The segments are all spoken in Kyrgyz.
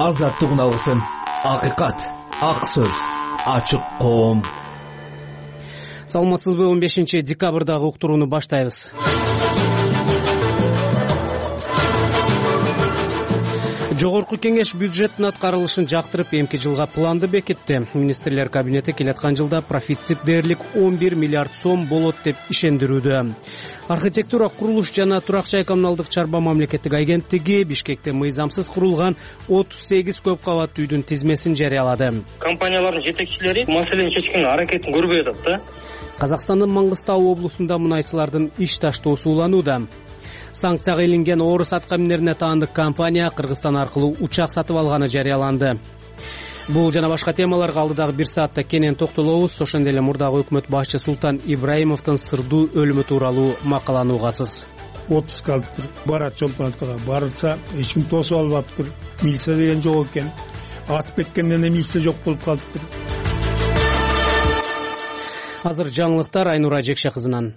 азаттык үналысын. Акыйкат, ак сөз, ачык коом. Саламатсызбы? 15 декабрдагы уктурууну баштайбыз. Жогорку кеңеш бюджеттин аткарылышын жактырып, эмки жылга планды бекитти. Министрлер кабинети келаткан жылда профицит дээрлик 11 миллиард сом болот деп ишендирүүдө. Архитектура, курулуш жана турак жай коммуналдык чарба мамлекеттик агенттиги Бишкекте мыйзамсыз курулган 38 көп кабаттуу үйдүн тизмесин жарыялады. Компаниялардын жетекчилери маселени чечкенге аракетин көрбөй атат да. Казакстандын Маңгыстау облусунда мунайчылардын иш таштоосу уланууда. Санкцияга илинген орус аткаминерине таандык компания Кыргызстан аркылуу учак сатып алганы жарыяланды. Бул жана башка темаларга алдыдагы бир саатта кенен токтолобуз. Ошондой эле мурдагы өкмөт башчы Султан Ибраимовдун сырдуу өлүмү тууралуу макаланы угасыз. Отпуск алыптыр, барат чолпонаттыга барылса эч ким тосуп албаптыр. Милиция деген жок экен. Атып кеткенден милиция жок болуп калыптыр. Азыр жаңылыктар Айнура Жекше кызынан.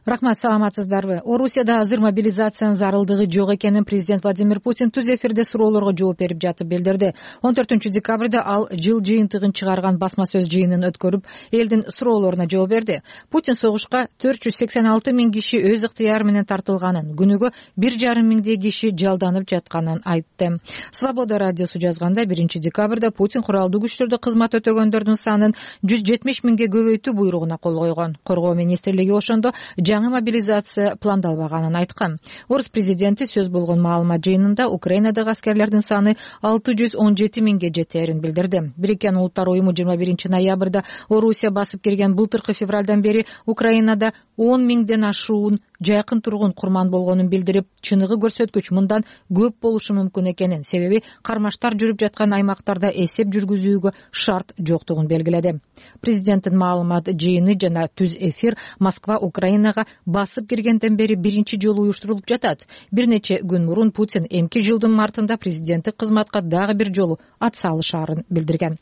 Рахмат, саламатсыздарбы? Орусияда азыр мобилизациянын зарылдыгы жок экенин президент Владимир Путин түз эфирде суроолорго жооп берип жатып билдирди. 14 декабрда ал жыл жыйынтыгын чыгарган басма сөз жыйынын өткөрүп, элдин суроолоруна жооп берди. Путин согушка 486 миң киши өз ыктыяры менен тартылганын, күнүгө 1,5 миңдей киши жалданып жатканын айтты. Свобода радиосу жазганда 1 декабрда Путин куралдуу күчтөрдө кызмат өтөгөндөрдүн санын 170 миңге көбөйтүү буйругуна кол койгон. Коргоо министрлиги ошондо жаңы мобилизация пландалбаганын айткан. Орус президенти сөз болгон маалымат жыйынында Украинадагы аскерлердин саны 617 миңге жетээрин билдирди. Бириккен Улуттар уюму 21 ноябрда Орусия басып кирген былтыркы февралдан бери Украинада 10 миңден ашуун жайкын тургун курман болгонун билдирип, чыныгы көрсөткүч мындан көп болушу мүмкүн экенин, себеби кармаштар жүрүп жаткан аймактарда эсеп жүргүзүүгө шарт жоктугун белгиледи. Президенттин маалымат жыйыны жана түз эфир Москва Украинага басып киргенден бери биринчи жолу уюштурулуп жатат. Бир нече күн мурун Путин эмки жылдын мартында президенттик кызматка дагы бир жолу атсалышаарын билдирген.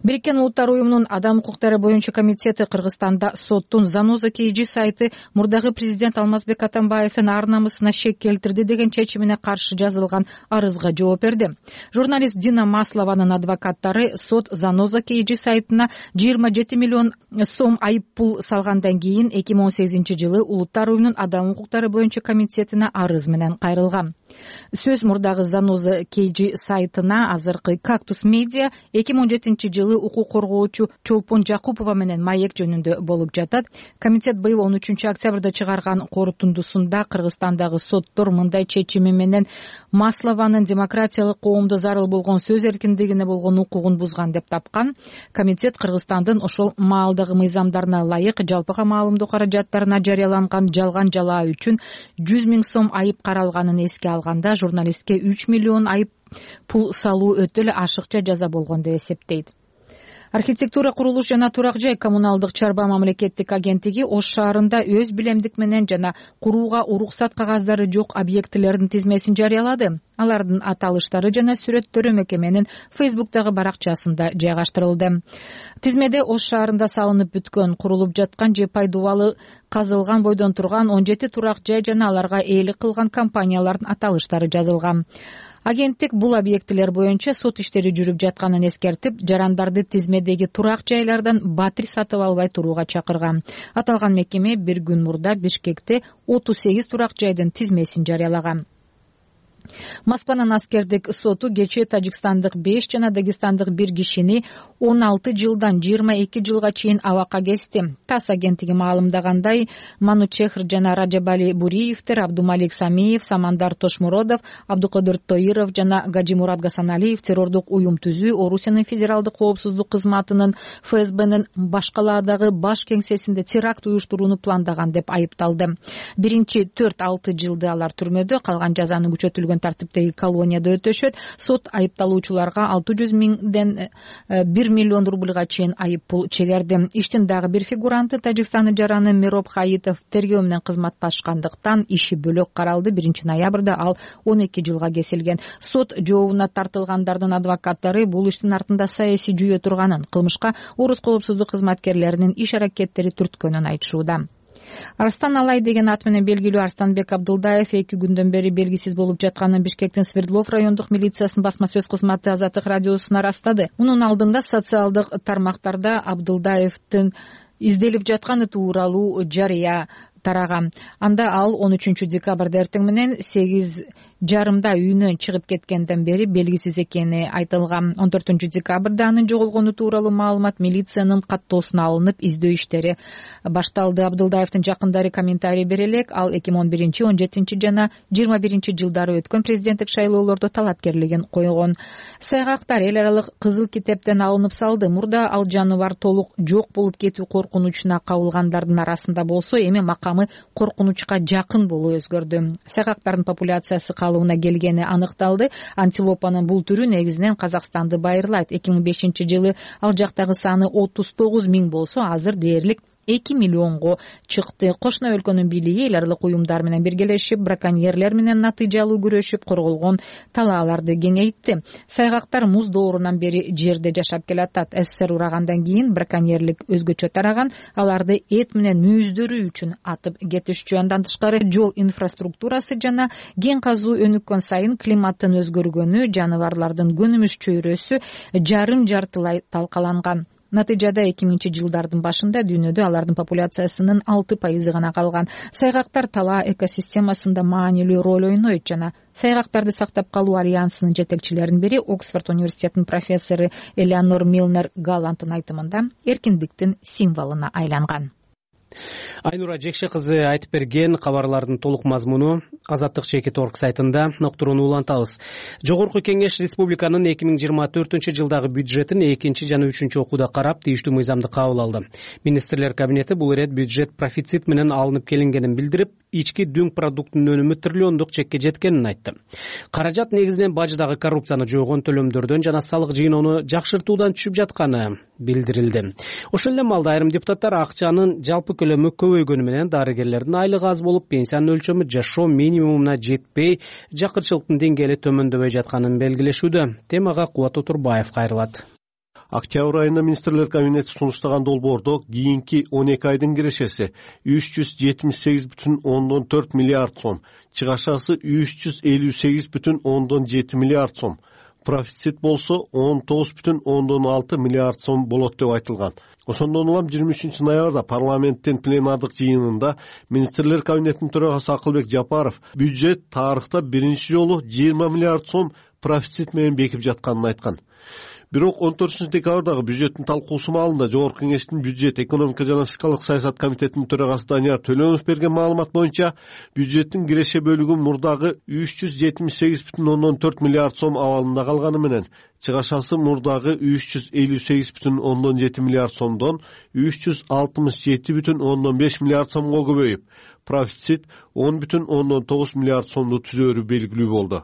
Бириккен Улуттар уюмунун адам укуктары боюнча комитети Кыргызстанда соттун Заноза KG сайты мурдагы президент Алмазбек Атамбаевдин ар намысына шек келтирди деген чечимине каршы жазылган арызга жооп берди. Журналист Дина Маслованын адвокаттары сот Заноза KG сайтына 27 миллион сом айып пул салгандан кийин 2018 жылы Улуттар уюмунун адам укуктары боюнча комитетине арыз менен кайрылган. Сөз мурдагы Заноза KG сайтына азыркы Кактус Медиа 2017 жылы укук коргоочу Чолпон Жакупова менен маек жөнүндө болуп жатат. Комитет быйыл 13 октябрда чыгарган корутундусунда Кыргызстандагы соттор мындай чечими менен Маслованын демократиялык коомдо зарыл болгон сөз эркиндигине болгон укугун бузган деп тапкан. Комитет Кыргызстандын ошол маалдагы мыйзамдарына ылайык жалпыга маалымдоо каражаттарына жарыяланган жалган жалаа үчүн 100 миң сом айып каралганын эске алганда, журналистке 3 миллион айып пул салуу өтө эле ашыкча жаза болгон деп эсептейт. Архитектура, курулуш жана турак жай коммуналдык чарба мамлекеттик агенттиги Ош шаарында өз билемдик менен жана курууга уруксат кагаздары жок объектилердин тизмесин жарыялады. Алардын аталыштары жана сүрөттөрү мекеменин Facebook'тагы баракчасында жайгаштырылды. Тизмеде Ош шаарында салынып бүткөн, курулуп жаткан же пайдубалы казылган бойдон турган 17 турак жай жана аларга ээлик кылган компаниялардын аталыштары жазылган. Агенттик бул объектилер боюнча сот иштери жүрүп жатканын эскертип, жарандарды тизмедеги турак жайлардан батир сатып албай турууга чакырган. Аталган мекеме бир күн мурда Бишкекте 38 турак жайдын тизмесин жарыялаган. Москванын аскердик соту кечээ Тажикстандык 5 жана Дагестандык 1 кишини 16 жылдан 22 жылга чейин абакка кести. ТАСС агенттиги маалымдагандай, Манучехр жана Раджабали Буриевдер, Абдумалик Самиев, Самандар Тошмуродов, Абдукадыр Тоиров жана Гаджимурат Гасаналиев террордук уюм түзүү, Орусиянын федералдык коопсуздук кызматынын ФСБнын башкалаадагы баш кеңсесинде теракт уюштурууну пландаган деп айыпталды. Биринчи 4-6 жылды алар түрмөдө, калган жазаны күчөтүлгөн тартиптеги колонияда өтөшөт. Сот айыпталуучуларга 600 миңден 1 миллион рубльга чейин айып пул чегерди. Иштин дагы бир фигуранты Тажикстандын жараны Мироб Хаитов тергөө менен кызматташкандыктан иши бөлөк каралды. 1 ноябрда ал 12 жылга кесилген. Сот жообуна тартылгандардын адвокаттары бул иштин артында саясий жүйө турганын, кылмышка орус коопсуздук кызматкерлеринин иш аракеттери түрткөнүн айтышууда. Арстан Алай деген ат менен белгилүү Арстанбек Абдылдаев 2 күндөн бери белгисиз болуп жатканын Бишкектин Свердлов райондук милициясынын басма сөз кызматы Азаттык радиосуна ырастады. Мунун алдында социалдык тармактарда Абдылдаевдин изделип жатканы тууралуу жарыя тараган. Анда ал 13 декабрда эртең менен 8:30 үйүнөн чыгып кеткенден бери белгисиз экени айтылган. 14 декабрда анын жоголгону тууралуу маалымат милициянын каттоосуна алынып, издөө иштери башталды. Абдылдаевдин жакындары комментарий бере элек, ал 2011, 17 жана 21 жылдары өткөн президенттик шайлоолордо талапкерлигин койгон. Сайгактар эл аралык кызыл китептен алынып салды. Мурда ал жаныбар толук жок болуп кетүү коркунучуна кабылгандардын арасында болсо, эми макамы коркунучка жакын болуу өзгөрдү. Сайгактардын популяциясы калыбына келгени аныкталды. Антилопанын бул түрү негизинен Казакстанды байырлайт. 2005 жылы ал жактагы саны 39 000 болсо, азыр дээрлик 2 миллионго чыкты. Кошуна өлкөнүн бийлиги эл аралык уюмдар менен биргелешип, браконьерлер менен натыйжалуу күрөшүп, корголгон талааларды кеңейтти. Сайгактар муз доорунан бери жерде жашап келатат. СССР урагандан кийин браконьерлик өзгөчө тараган, аларды эт менен мүйүздөрү үчүн атып кетишчү. Андан тышкары жол инфраструктурасы жана кен казуу өнүккөн сайын климаттын өзгөргөнү, жаныбарлардын көнүмүш чөйрөсү жарым жартылай талкаланган. Натыйжада 2000 жылдардын башында дүйнөдө алардын популяциясынын 6% гана калган. Сайгактар талаа экосистемасында маанилүү роль ойнойт жана Сайгактарды сактап калуу альянсынын жетекчилеринин бири Оксфорд университетинин профессору Элеонор Милнер Галланттын айтымында эркиндиктин символуна айланган. Айнура Жекше кызы айтып берген кабарлардын толук мазмуну Азаттык.org сайтында уктурууну улантабыз. Жогорку кеңеш республиканын 2024 жылдагы бюджетин 2 жана 3 окууда карап, тийиштүү мыйзамды кабыл алды. Министрлер кабинети бул ирет бюджет профицит менен алынып келингенин билдирип, ички дүң продуктунун өнүмү триллиондук чекке жеткенин айтты. Каражат негизинен баждагы коррупцияны жоойгон төлөмдөрдөн жана салык жыйноону жакшыртуудан түшүп жатканы билдирилди. Ошол эле маалда айрым депутаттар акчанын жалпы көлөмү көбөйгөнү менен дарыгерлердин айлыгы аз болуп, пенсиянын өлчөмү жашоо минимумуна жетпей, жакырчылыктын деңгээли төмөндөбөй жатканын белгилешүүдө. Темага Кубат Отурбаев кайрылат. Октябрь айында министрлер кабинети сунуштаган долбоордо кийинки 12 айдын кирешеси 378,4 миллиард сом, чыгашасы 358,7 миллиард сом, профицит болсо 19,6 миллиард сом болот деп айтылган. Ошондон улам 23 ноябрда парламенттин пленардык жыйынында министрлер кабинетинин төрагасы Акылбек Жапаров бюджет тарыхта биринчи жолу 20 миллиард сом профицит менен бекип жатканын айткан. Бирок 14 декабрдагы бюджеттин талкуусу маалында Жогорку кеңештин бюджет, экономика жана фискалдык саясат комитетинин төрагасы Данияр Төлөнов берген маалымат боюнча, бюджеттин киреше бөлүгү мурдагы 378,4 миллиард сом абалында калганы менен, чыгашасы мурдагы 358,7 миллиард сомдон 367,5 миллиард сомго көбөйүп, профицит 10,9 миллиард сомду түзөөрү белгилүү болду.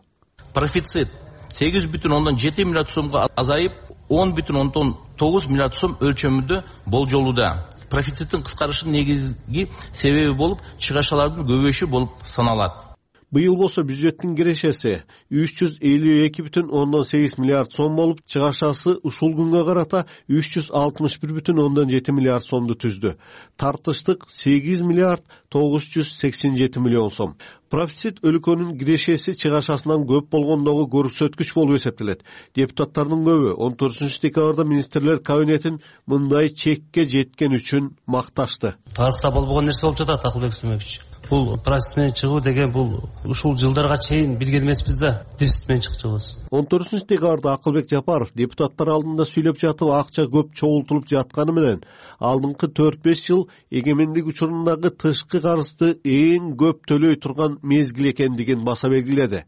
Профицит 8,7 миллиард сомго азайып, 10,9 миллиард сом өлчөмүндө болжолууда. Профициттин кыскарышынын негизги себеби болуп, чыгашалардын көбөйүшү болуп саналат. Быйыл болсо бюджеттин кирешеси 352,8 миллиард сом болуп, чыгашасы ушул күнгө карата 361,7 миллиард сомду түздү. Тартыштык 8 миллиард 987 миллион сом. Профицит өлкөнүн кирешеси чыгашасынан көп болгондогу көрсөткүч болуп эсептелет. Депутаттардын көбү 14 декабрда министрлер кабинетин мындай чекке жеткен үчүн макташты. Тарыхта болбогон нерсе болуп жатат, Акылбек Смеевич. Бул профицит менен чыгуу деген бул ушул жылдарга чейин билген эмеспиз да, дефицит менен чыгабыз. 14 декабрда Акылбек Жапаров депутаттар алдында сүйлөп жатып, акча көп чогултулуп жатканы менен, алдыңкы 4-5 жыл эгемендик учурундагы тышкы карызды эң көп төлөй турган мезгил экендигин баса белгиледи.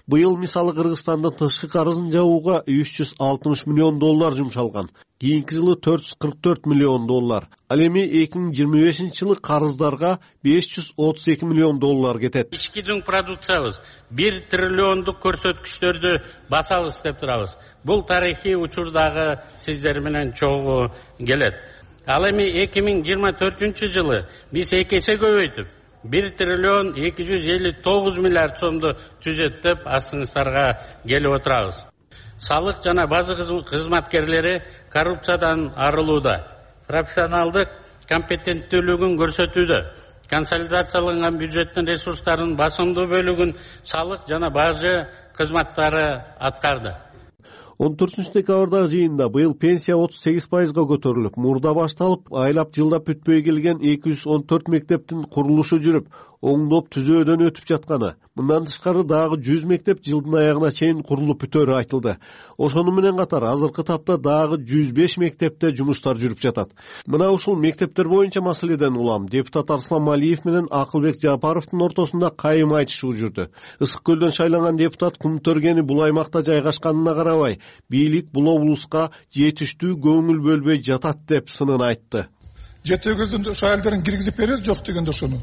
Быйыл мисалы Кыргызстандын тышкы карызын жабууга 360 миллион доллар жумшалган. Кийинки жылы 444 миллион доллар. Ал эми 2025 жылы карыздарга 532 миллион доллар кетет. Ички дүң продукциябыз 1 триллиондук көрсөткүчтөрдү басабыз деп турабыз. Бул тарыхый учурдагы сиздер менен чогуу келет. Ал эми 2024 жылы биз 2 эсе көбөйтүп 1 триллион 259 миллиард сомду түзөттүп астыңыздарга келип отурабыз. Салык жана база кызматкерлери коррупциядан арылууда, профессионалдык компетенттүүлүгүн көрсөтүүдө, консолидацияланган бюджеттин ресурстарынын басымдуу бөлүгүн салык жана бажы кызматтары аткарды. 14-декабрдагы жыйында быйыл пенсия 38%га көтөрүлүп, мурда башталып, айлап жылдап бүтпөй келген 214 мектептин курулушу жүрүп, оңдоп түзөөдөн өтүп жатканы, мындан тышкары дагы 100 мектеп жылдын аягына чейин курулуп бүтөөрү айтылды. Ошону менен катар азыркы тапта дагы 105 мектепте жумуштар жүрүп жатат. Мына ушул мектептер боюнча маселеден улам депутат Арслан Малиев менен Акылбек Жапаровдун ортосунда кайым айтышуу жүрдү. Ысык көлдөн шайланган депутат кум төргени бул аймакта жайгашканына карабай, бийлик бул облуска жетиштүү көңүл бөлбөй жатат деп сынын айтты. 7-8 ошо айылдарын киргизип беребиз, жок дегенде ошону.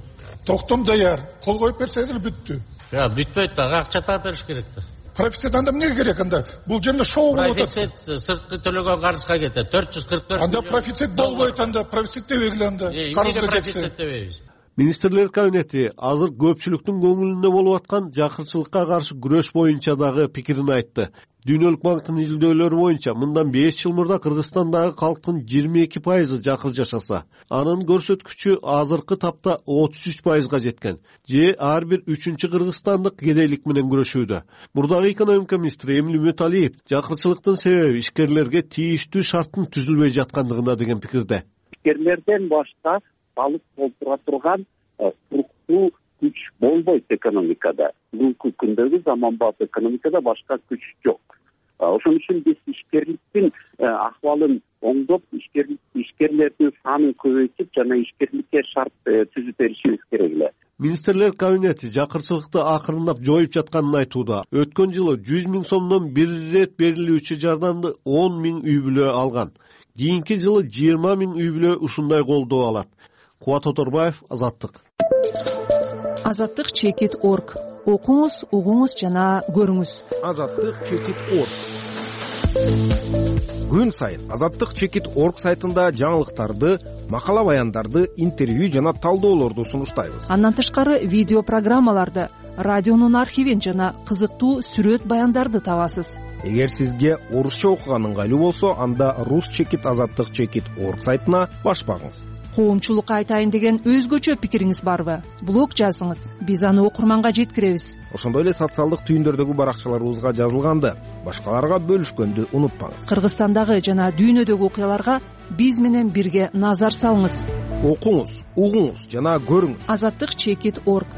Токтом даяр, кол коюп берсеңиз эле бүттү. Бүтпөйт да, акча таап бериш керек да. Профицит анда эмнеге керек анда? Бул жерде шоу болуп атат. Профицит сырткы төлөгөн карызга кетет. 444. Анда профицит болбойт анда, профицит дебегиле анда. Карызга кетсе. Министрлер кабинети азыр көпчүлүктүн көңүлүндө болуп аткан жакырчылыкка каршы күрөш боюнча дагы пикирин айтты. Дүйнөлүк банктын изилдөөлөрү боюнча мындан 5 жыл мурда Кыргызстандагы калктын 22% жакыр жашаса, анын көрсөткүчү азыркы тапта 33%га жеткен. Же ар бир 3-чү кыргызстандык кедейлик менен күрөшүүдө. Мурдагы экономика министри Эмиль Мөталиев жакырчылыктын себеби ишкерлерге тийиштүү шарттын түзүлбөй жаткандыгында деген пикирде. Ишкерлерден башка балык толтура турган туруктуу күч болбойт экономикада. Бүгүнкү күндөгү заманбап экономикада башка күч жок. Ошон үчүн биз ишкерликтин акыбалын оңдоп, ишкерлердин санын көбөйтүп жана ишкерликке шарт түзүп беришибиз керек эле. Министрлер кабинети жакырчылыкты акырындап жоюп жатканын айтууда. Өткөн жылы 100 000 сомдон бир ирет берилүүчү жардамды 10 000 үй бүлө алган. Кийинки жылы 20 000 үй бүлө ушундай колдоо алат. Кубат Оторбаев, Азаттык. Азаттык чекит.org. Окуңуз, угуңуз жана көрүңүз. Азаттык чекит.org. Күн сайын Азаттык чекит.org сайтында жаңылыктарды, макала баяндарды, интервью жана талдоолорду сунуштайбыз. Андан тышкары видео программаларды, радионун архивин жана кызыктуу сүрөт баяндарды табасыз. Эгер сизге орусча окуган ыңгайлуу болсо, анда рус чекит азаттык чекит.org сайтына баш багыңыз. Коомчулукка айтайын деген өзгөчө пикириңиз барбы? Блог жазыңыз, биз аны окурманга жеткиребиз. Ошондой эле социалдык түйүндөрдөгү баракчаларыбызга жазылганды башкаларга бөлүшкөндү унутпаңыз. Кыргызстандагы жана дүйнөдөгү окуяларга биз менен бирге назар салыңыз. Окуңуз, угуңуз жана көрүңүз. Азаттык чекит.org.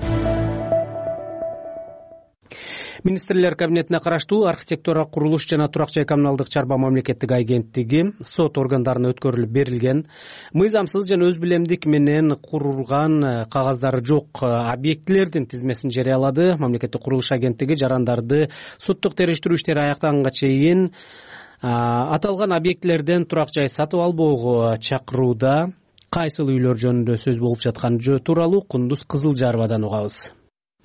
Министрлер кабинетине караштуу архитектура, курулуш жана турак жай коммуналдык чарба мамлекеттик агенттиги сот органдарына өткөрүлүп берилген мыйзамсыз жана өз билемдик менен курулган кагаздары жок объектилердин тизмесин жарыялады. Мамлекеттик курулуш агенттиги жарандарды соттук териштирүү иштери аяктаганга чейин аталган объектилерден турак жай сатып албоого чакырууда. Кайсыл үйлөр жөнүндө сөз болуп жатканы тууралуу Кундуз Кызылжарбадан угабыз.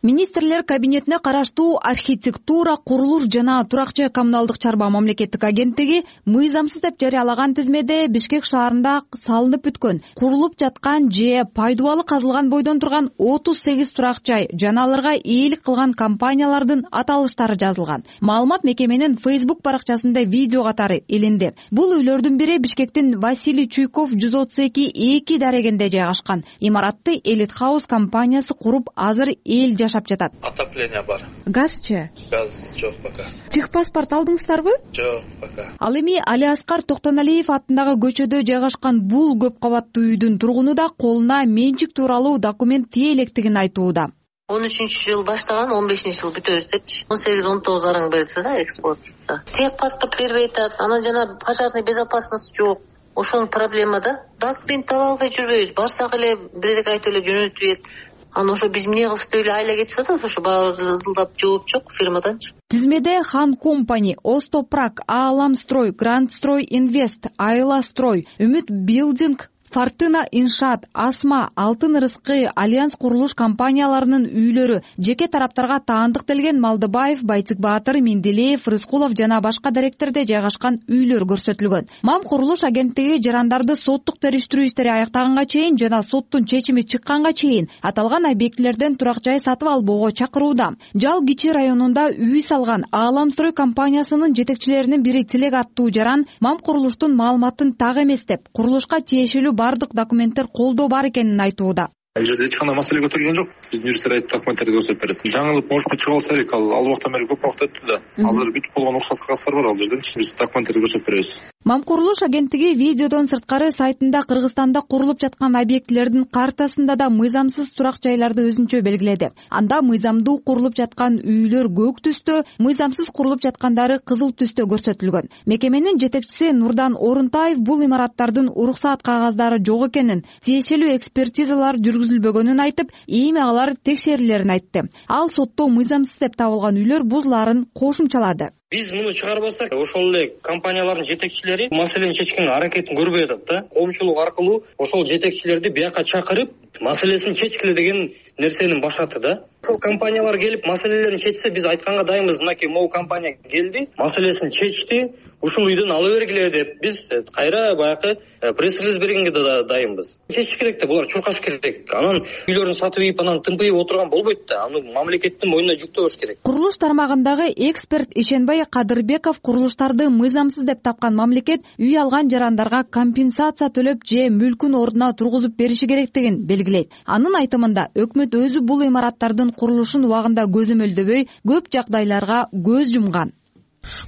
Министрлер кабинетине караштуу архитектура, курулуш жана турак жай коммуналдык чарба мамлекеттик агенттиги мыйзамсыз деп жарыялаган тизмеде Бишкек шаарында салынып бүткөн, курулуп жаткан же пайдубалы казылган бойдон турган 38 турак жай жана аларга ээлик кылган компаниялардын аталыштары жазылган. Маалымат мекеменин Facebook баракчасында видео катары эленди. Бул үйлөрдүн бири Бишкектин Василий Чуйков 132 дарегенде жайгашкан. Имаратты Элит Хаус компаниясы куруп, азыр эл жатат. Отопление бар. Газчы? Газ жок пока. Техпаспорт алдыңыздарбы? Жок пока. Ал эми Алиаскар Токтоналиев аттындагы көчөдө жайгашкан бул көп кабаттуу үйдүн тургуну да колуна менчик тууралуу документ тие электигин айтууда. 13-жыл баштаган, 15-жыл бүтөбүз депчи. 18-19 араң берди да эксплуатация. Техпаспорт бербей атат, анан жана пожарный безопасность жок. Ошонун проблема да. Документ таба албай жүрбөйбүз. Барсак эле бирдек айтып эле жөнөтүп. Аны ошо биз эмне кылышты эле айла кетип атат, ошо баары ызылдап жооп жок фирмаданчы. Тизмеде Хан Компани, Остопрак, Ааламстрой, Грандстрой Инвест, Айла Строй, Үмүт Билдинг, Фортуна Иншаат, Асма, Алтын Рыскы, Альянс курулуш компанияларынын үйлөрү, жеке тараптарга таандыктелген Малдыбаев, Байтик Баатыр, Менделеев, Рыскулов жана башка даректерде жайгашкан үйлөр көрсөтүлгөн. Мам курулуш агенттиги жарандарды соттук териштирүү иштери аяктаганга чейин жана соттун чечими чыкканга чейин аталган объектилерден турак жай сатып албоого чакырууда. Жал Кичи районунда үй салган Ааламстрой компаниясынын жетекчилеринин бири Тилек аттуу жаран Мам курулуштун маалыматын так эмес деп, курулушка тиешелүү бардык документтер колдо бар экенин айтууда. Ал жерде эч кандай маселе көтөрүлгөн жок. Биздин юристтер айтып документтерди көрсөтүп берет. Жаңылып может быть чыга алса керек. Ал убактан бери көп убакыт өттү да. Азыр бүтүп болгон уруксат кагаздары бар ал жерде. Биз документтерди көрсөтүп беребиз. Мам курулуш агенттиги видеодон сырткары сайтында Кыргызстанда курулуп жаткан объектилердин картасында да мыйзамсыз турак жайларды өзүнчө белгиледи. Анда мыйзамдуу курулуп жаткан үйлөр көк түстө, мыйзамсыз курулуп жаткандары кызыл түстө көрсөтүлгөн. Мекеменин жетекчиси Нурдан Орунтаев бул имараттардын уруксаат кагаздары жок экенин, тиешелүү экспертизалар жүргүзүлбөгөнүн айтып, эми алар текшерилерин айтты. Ал сотто мыйзамсыз деп табылган үйлөр бузуларын кошумчалады. Биз муну чыгарбасак, ошол эле компаниялардын жетекчилери маселени чечкенге аракетин көрбөй атат да. Коомчулук аркылуу ошол жетекчилерди бияка чакырып, маселесин чечкиле деген нерсени башаты да. Ошол компаниялар келип маселелерин чечсе, биз айтканга дайынбыз. Мынакей могу компания келди, маселесин чечти, ушул үйдөн ала бергиле деп биз кайра баягы пресс-релиз бергенге да дайынбыз. Чечиш керек да, булар чуркаш керек. Анан үйлөрүн сатып ийип, анан тымпыйып отурган болбойт да. Аны мамлекеттин мойнуна жүктөбөш керек. Курулуш тармагындагы эксперт Ишенбай Кадырбеков курулуштарды мыйзамсыз деп тапкан мамлекет үй алган жарандарга компенсация төлөп же мүлкүн ордуна тургузуп бериши керектигин белгилейт. Анын айтымында өкмөт өзү бул имараттардын курулушун убагында көзөмөлдөбөй, көп жагдайларга көз жумган.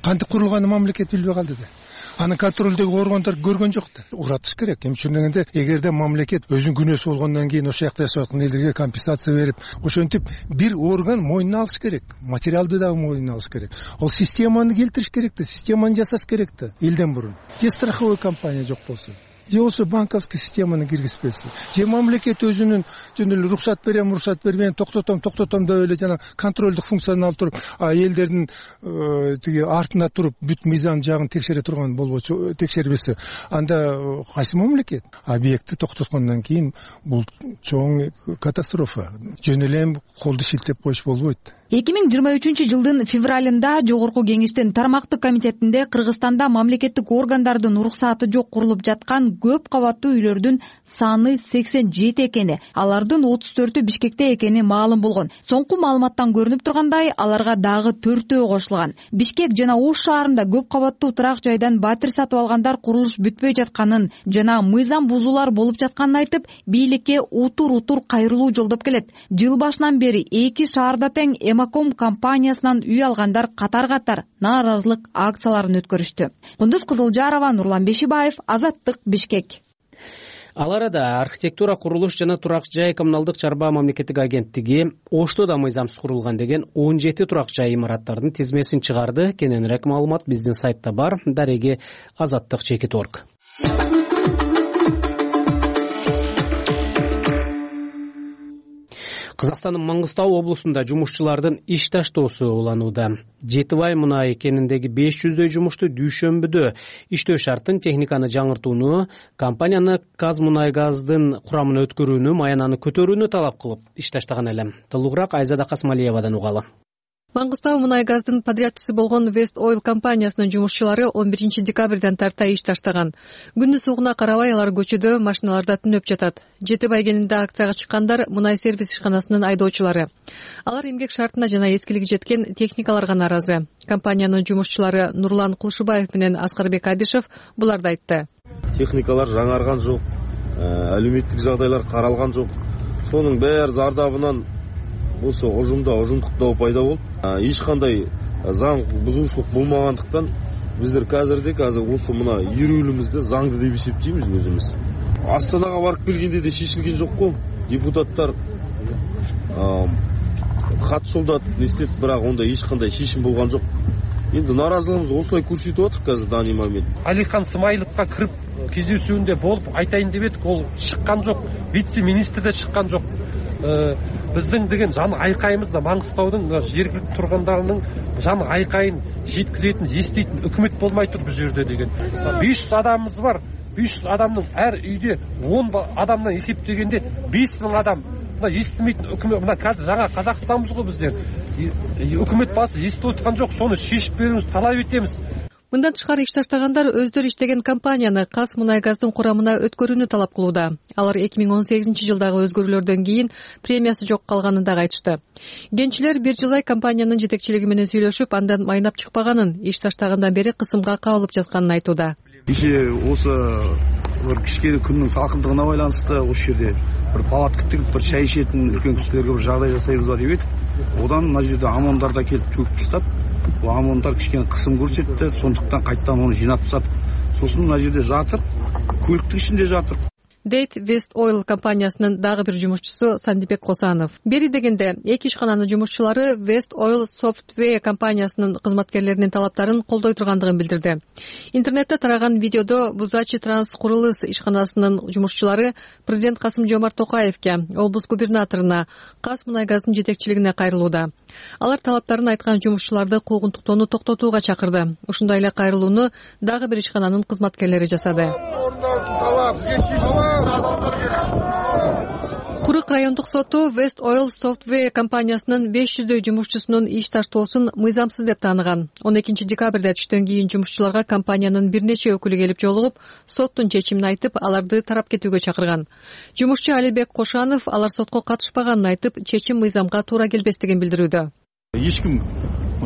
Кантип курулганын мамлекет билбей калды да. Анын контролдөгү органдар көргөн жок да. Уратыш керек. Эми ушун дегенде, эгерде мамлекет өзүнүн күнөөсү болгондон кийин ошол жакта жашап аткан элдерге компенсация берип, ошентип бир орган мойнуна алыш керек. Материалды дагы мойнуна алыш керек. Ол системаны келтириш керек да, системаны жасаш керек да элден мурун. Же страховой компания жок болсо, же болсо банковский системаны киргизбесе, же мамлекет өзүнүн жөн эле уруксат берем, уруксат бербейм, токтотом деп эле жана контролдук функцияны алып туруп, элдердин тиги артында туруп бүт мыйзам жагын текшере турган болбочу, текшербесе, анда кайсы мамлекет объектти токтоткондон кийин бул чоң катастрофа. Жөн эле колду шилтеп коюш болбойт. 2023 жылдын февралында Жогорку Кеңештин тармактык комитетинде Кыргызстанда мамлекеттик органдардын уруксааты жок курулуп жаткан көп кабаттуу үйлөрдүн саны 87 экени, алардын 34-ü Бишкекте экени маалым болгон. Соңку маалыматтан көрүнүп тургандай, аларга дагы 4-өө кошулган. Бишкек жана Ош шаарында көп кабаттуу турак жайдан батир сатып алгандар курулуш бүтпөй жатканын жана мыйзам бузуулар болуп жатканын айтып, бийликке утур кайрылуу жолдоп келет. Жыл башынан бери 2 шаарда тең Эмаком компаниясынан үй алгандар катар нааразылык акцияларын өткөрүштү. Кундуз Кызылжарова, Нурлан Бешибаев, Азаттык, Бишкек. Ал арада архитектура, курулуш жана турак жай коммуналдык чарба мамлекеттик агенттиги Ошто да мыйзамсыз курулган деген 17 турак жай имараттардын тизмесин чыгарды. Кененирээк маалымат биздин сайтта бар. Дареги Азаттык.org. Кыргызстандын Маңгыстау облусунда жумушчулардын иш таштоосу уланууда. Жетибай мунай кениндеги 500дөй жумушту дүйшөмбүдө иштөө шартын техниканы жаңыртууну, компанияны Казмунайгаздын курамына өткөрүүнү, маянаны көтөрүүнү талап кылып иш таштаган эле. Толугураак Айзада Касмалиевадан угалы. Маңгыстау Мунайгаздын подрядчысы болгон West Oil компаниясынын жумушчулары 11 декабрдан тарта иш таштаган. Күндү сугуна карабай алар көчөдө машиналарда түнөп жатат. Жетибай кенинде акцияга чыккандар мунай сервис ишканасынын айдоочулары. Алар эмгек шартына жана эскилиги жеткен техникаларга нааразы. Компаниянын жумушчулары Нурлан Кулшубаев менен Аскарбек Абишев буларды айтты. Техникалар жаңарган жок, алюмиттик жагдайлар каралган жок. Сонун баары зардабынан осы ожумдук доо пайда болуп, эч кандай заң бузуушулук болмагандыктан биздер азыр осы мына үйрөлүбүздө заңды деп эсептейбиз өзүбүз. Астанага барып келгенде де шешилген жок го. Депутаттар кат жолдоп эстет, бирок онда эч кандай шешим болгон жок. Энд нааразылыгыбызды осулай көрсөтүп атып азыр данный момент. Алихан Смайловго кирип кездесүүндө болуп айтайын деп едик, ол чыккан жок. Вице-министр да чыккан жок. Биздин деген жан айкайыбыз да Маңгыстаудун жергиликтүү тургундарынын жан айкайын жеткизетін, эстейтин өкмөт болмай тур бул жерде деген. 500 адамыбыз бар. 500 адамдын әр үйдө 10 адамдан эсептегенде 5000 адам. Мына эстемейтин өкмөт, мына қазір жаңа Казакстанбыз го биздер. Өкмөт басы эстеп аткан жок, сону шешип берүүңүздү талап этебиз. Мындан тышкары иш таштагандар өздөрү иштеген компанияны Казмунайгаздын курамына өткөрүүнү талап кылууда. Алар 2018 жылдагы өзгөрүүлөрдөн кийин премиясы жок калганын дагы айтышты. Кенчилер бир жылдай компаниянын жетекчилиги менен сүйлөшүп, андан майнап чыкпаганын, иш таштагандан бери кысымга кабылып жатканын айтууда. Иши осы кичкене күндүн салкындыгына байланыштуу ошол жерде бир палатка тигип бир чай ичетін үлкен кишилерге бир жагдай жасайбыз ба деп едик. Одан мына жерде ОМОНдар да келип төгүп таштап, бул ОМОНдар кичкене кысым көрсөттү, сондуктан кайттан аны жыйнап тастадык. Сосын мына жерде жатыр, көлүктүн ичинде жатыр, дейт West Oil компаниясынын дагы бир жумушчусу Сандибек Косанов. Бери дегенде эки ишкананын жумушчулары West Oil Software компаниясынын кызматкерлеринин талаптарын колдой тургандыгын билдирди. Интернетте тараган видеодо Бузачи Транс курулус ишканасынын жумушчулары президент Касым-Жомарт Токаевке, облус губернаторуна, Казмунайгаздын жетекчилигине кайрылууда. Алар талаптарын айткан жумушчуларды куугунтуктоону токтотууга чакырды. Ушундай эле кайрылууну дагы бир ишкананын кызматкерлери жасады. Курык райондук соту West Oil Software компаниясынын 500дөй жумушчусунун иш таштоосун мыйзамсыз деп тааныган. 12 декабрда түштөн кийин жумушчуларга компаниянын бир нече өкүлү келип жолугуп, соттун чечимин айтып, аларды тарап кетүүгө чакырган. Жумушчу Алибек Кошанов алар сотко катышпаганын айтып, чечим мыйзамга туура келбестигин билдирүүдө. Эч ким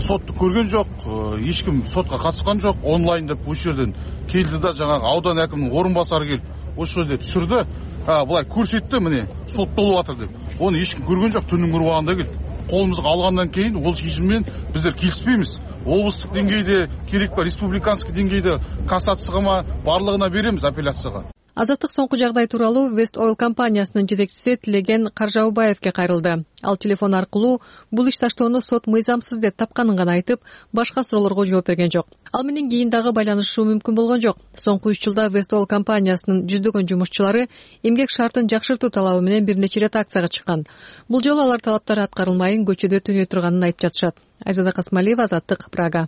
сотту көргөн жок, эч ким сотко катышкан жок. Онлайн деп ушул жерден келди да, жанагы аудан акиминин орун басары келип ошол жерде түшүрдү. Булай көрсөттү, міне соттолуп атыр деп. Оны эч ким көргөн жок, түнүн курбаганда келди. Колубузга алгандан кийин ол чечим менен биздер келишпейбиз. Облустук деңгейде керек ба, республиканский деңгейде кассацияга барлыгына беремиз, апелляцияга. Азаттык соңку жагдай тууралуу West Oil компаниясынын жетекчиси Тилеген Каржаубаевке кайрылды. Ал телефон аркылуу бул иш таштоону сот мыйзамсыз деп тапканын гана айтып, башка суроолорго жооп берген жок. Ал менен кийин дагы байланышуу мүмкүн болгон жок. Соңку 3 жылда West Oil компаниясынын жүздөгөн жумушчулары эмгек шартын жакшыртуу талабы менен бир нече рет акцияга чыккан. Бул жолу алар талаптары аткарылмай, көчөдө түнөй турганын айтып жатышат. Айзада Касмалиева, Азаттык, Прага.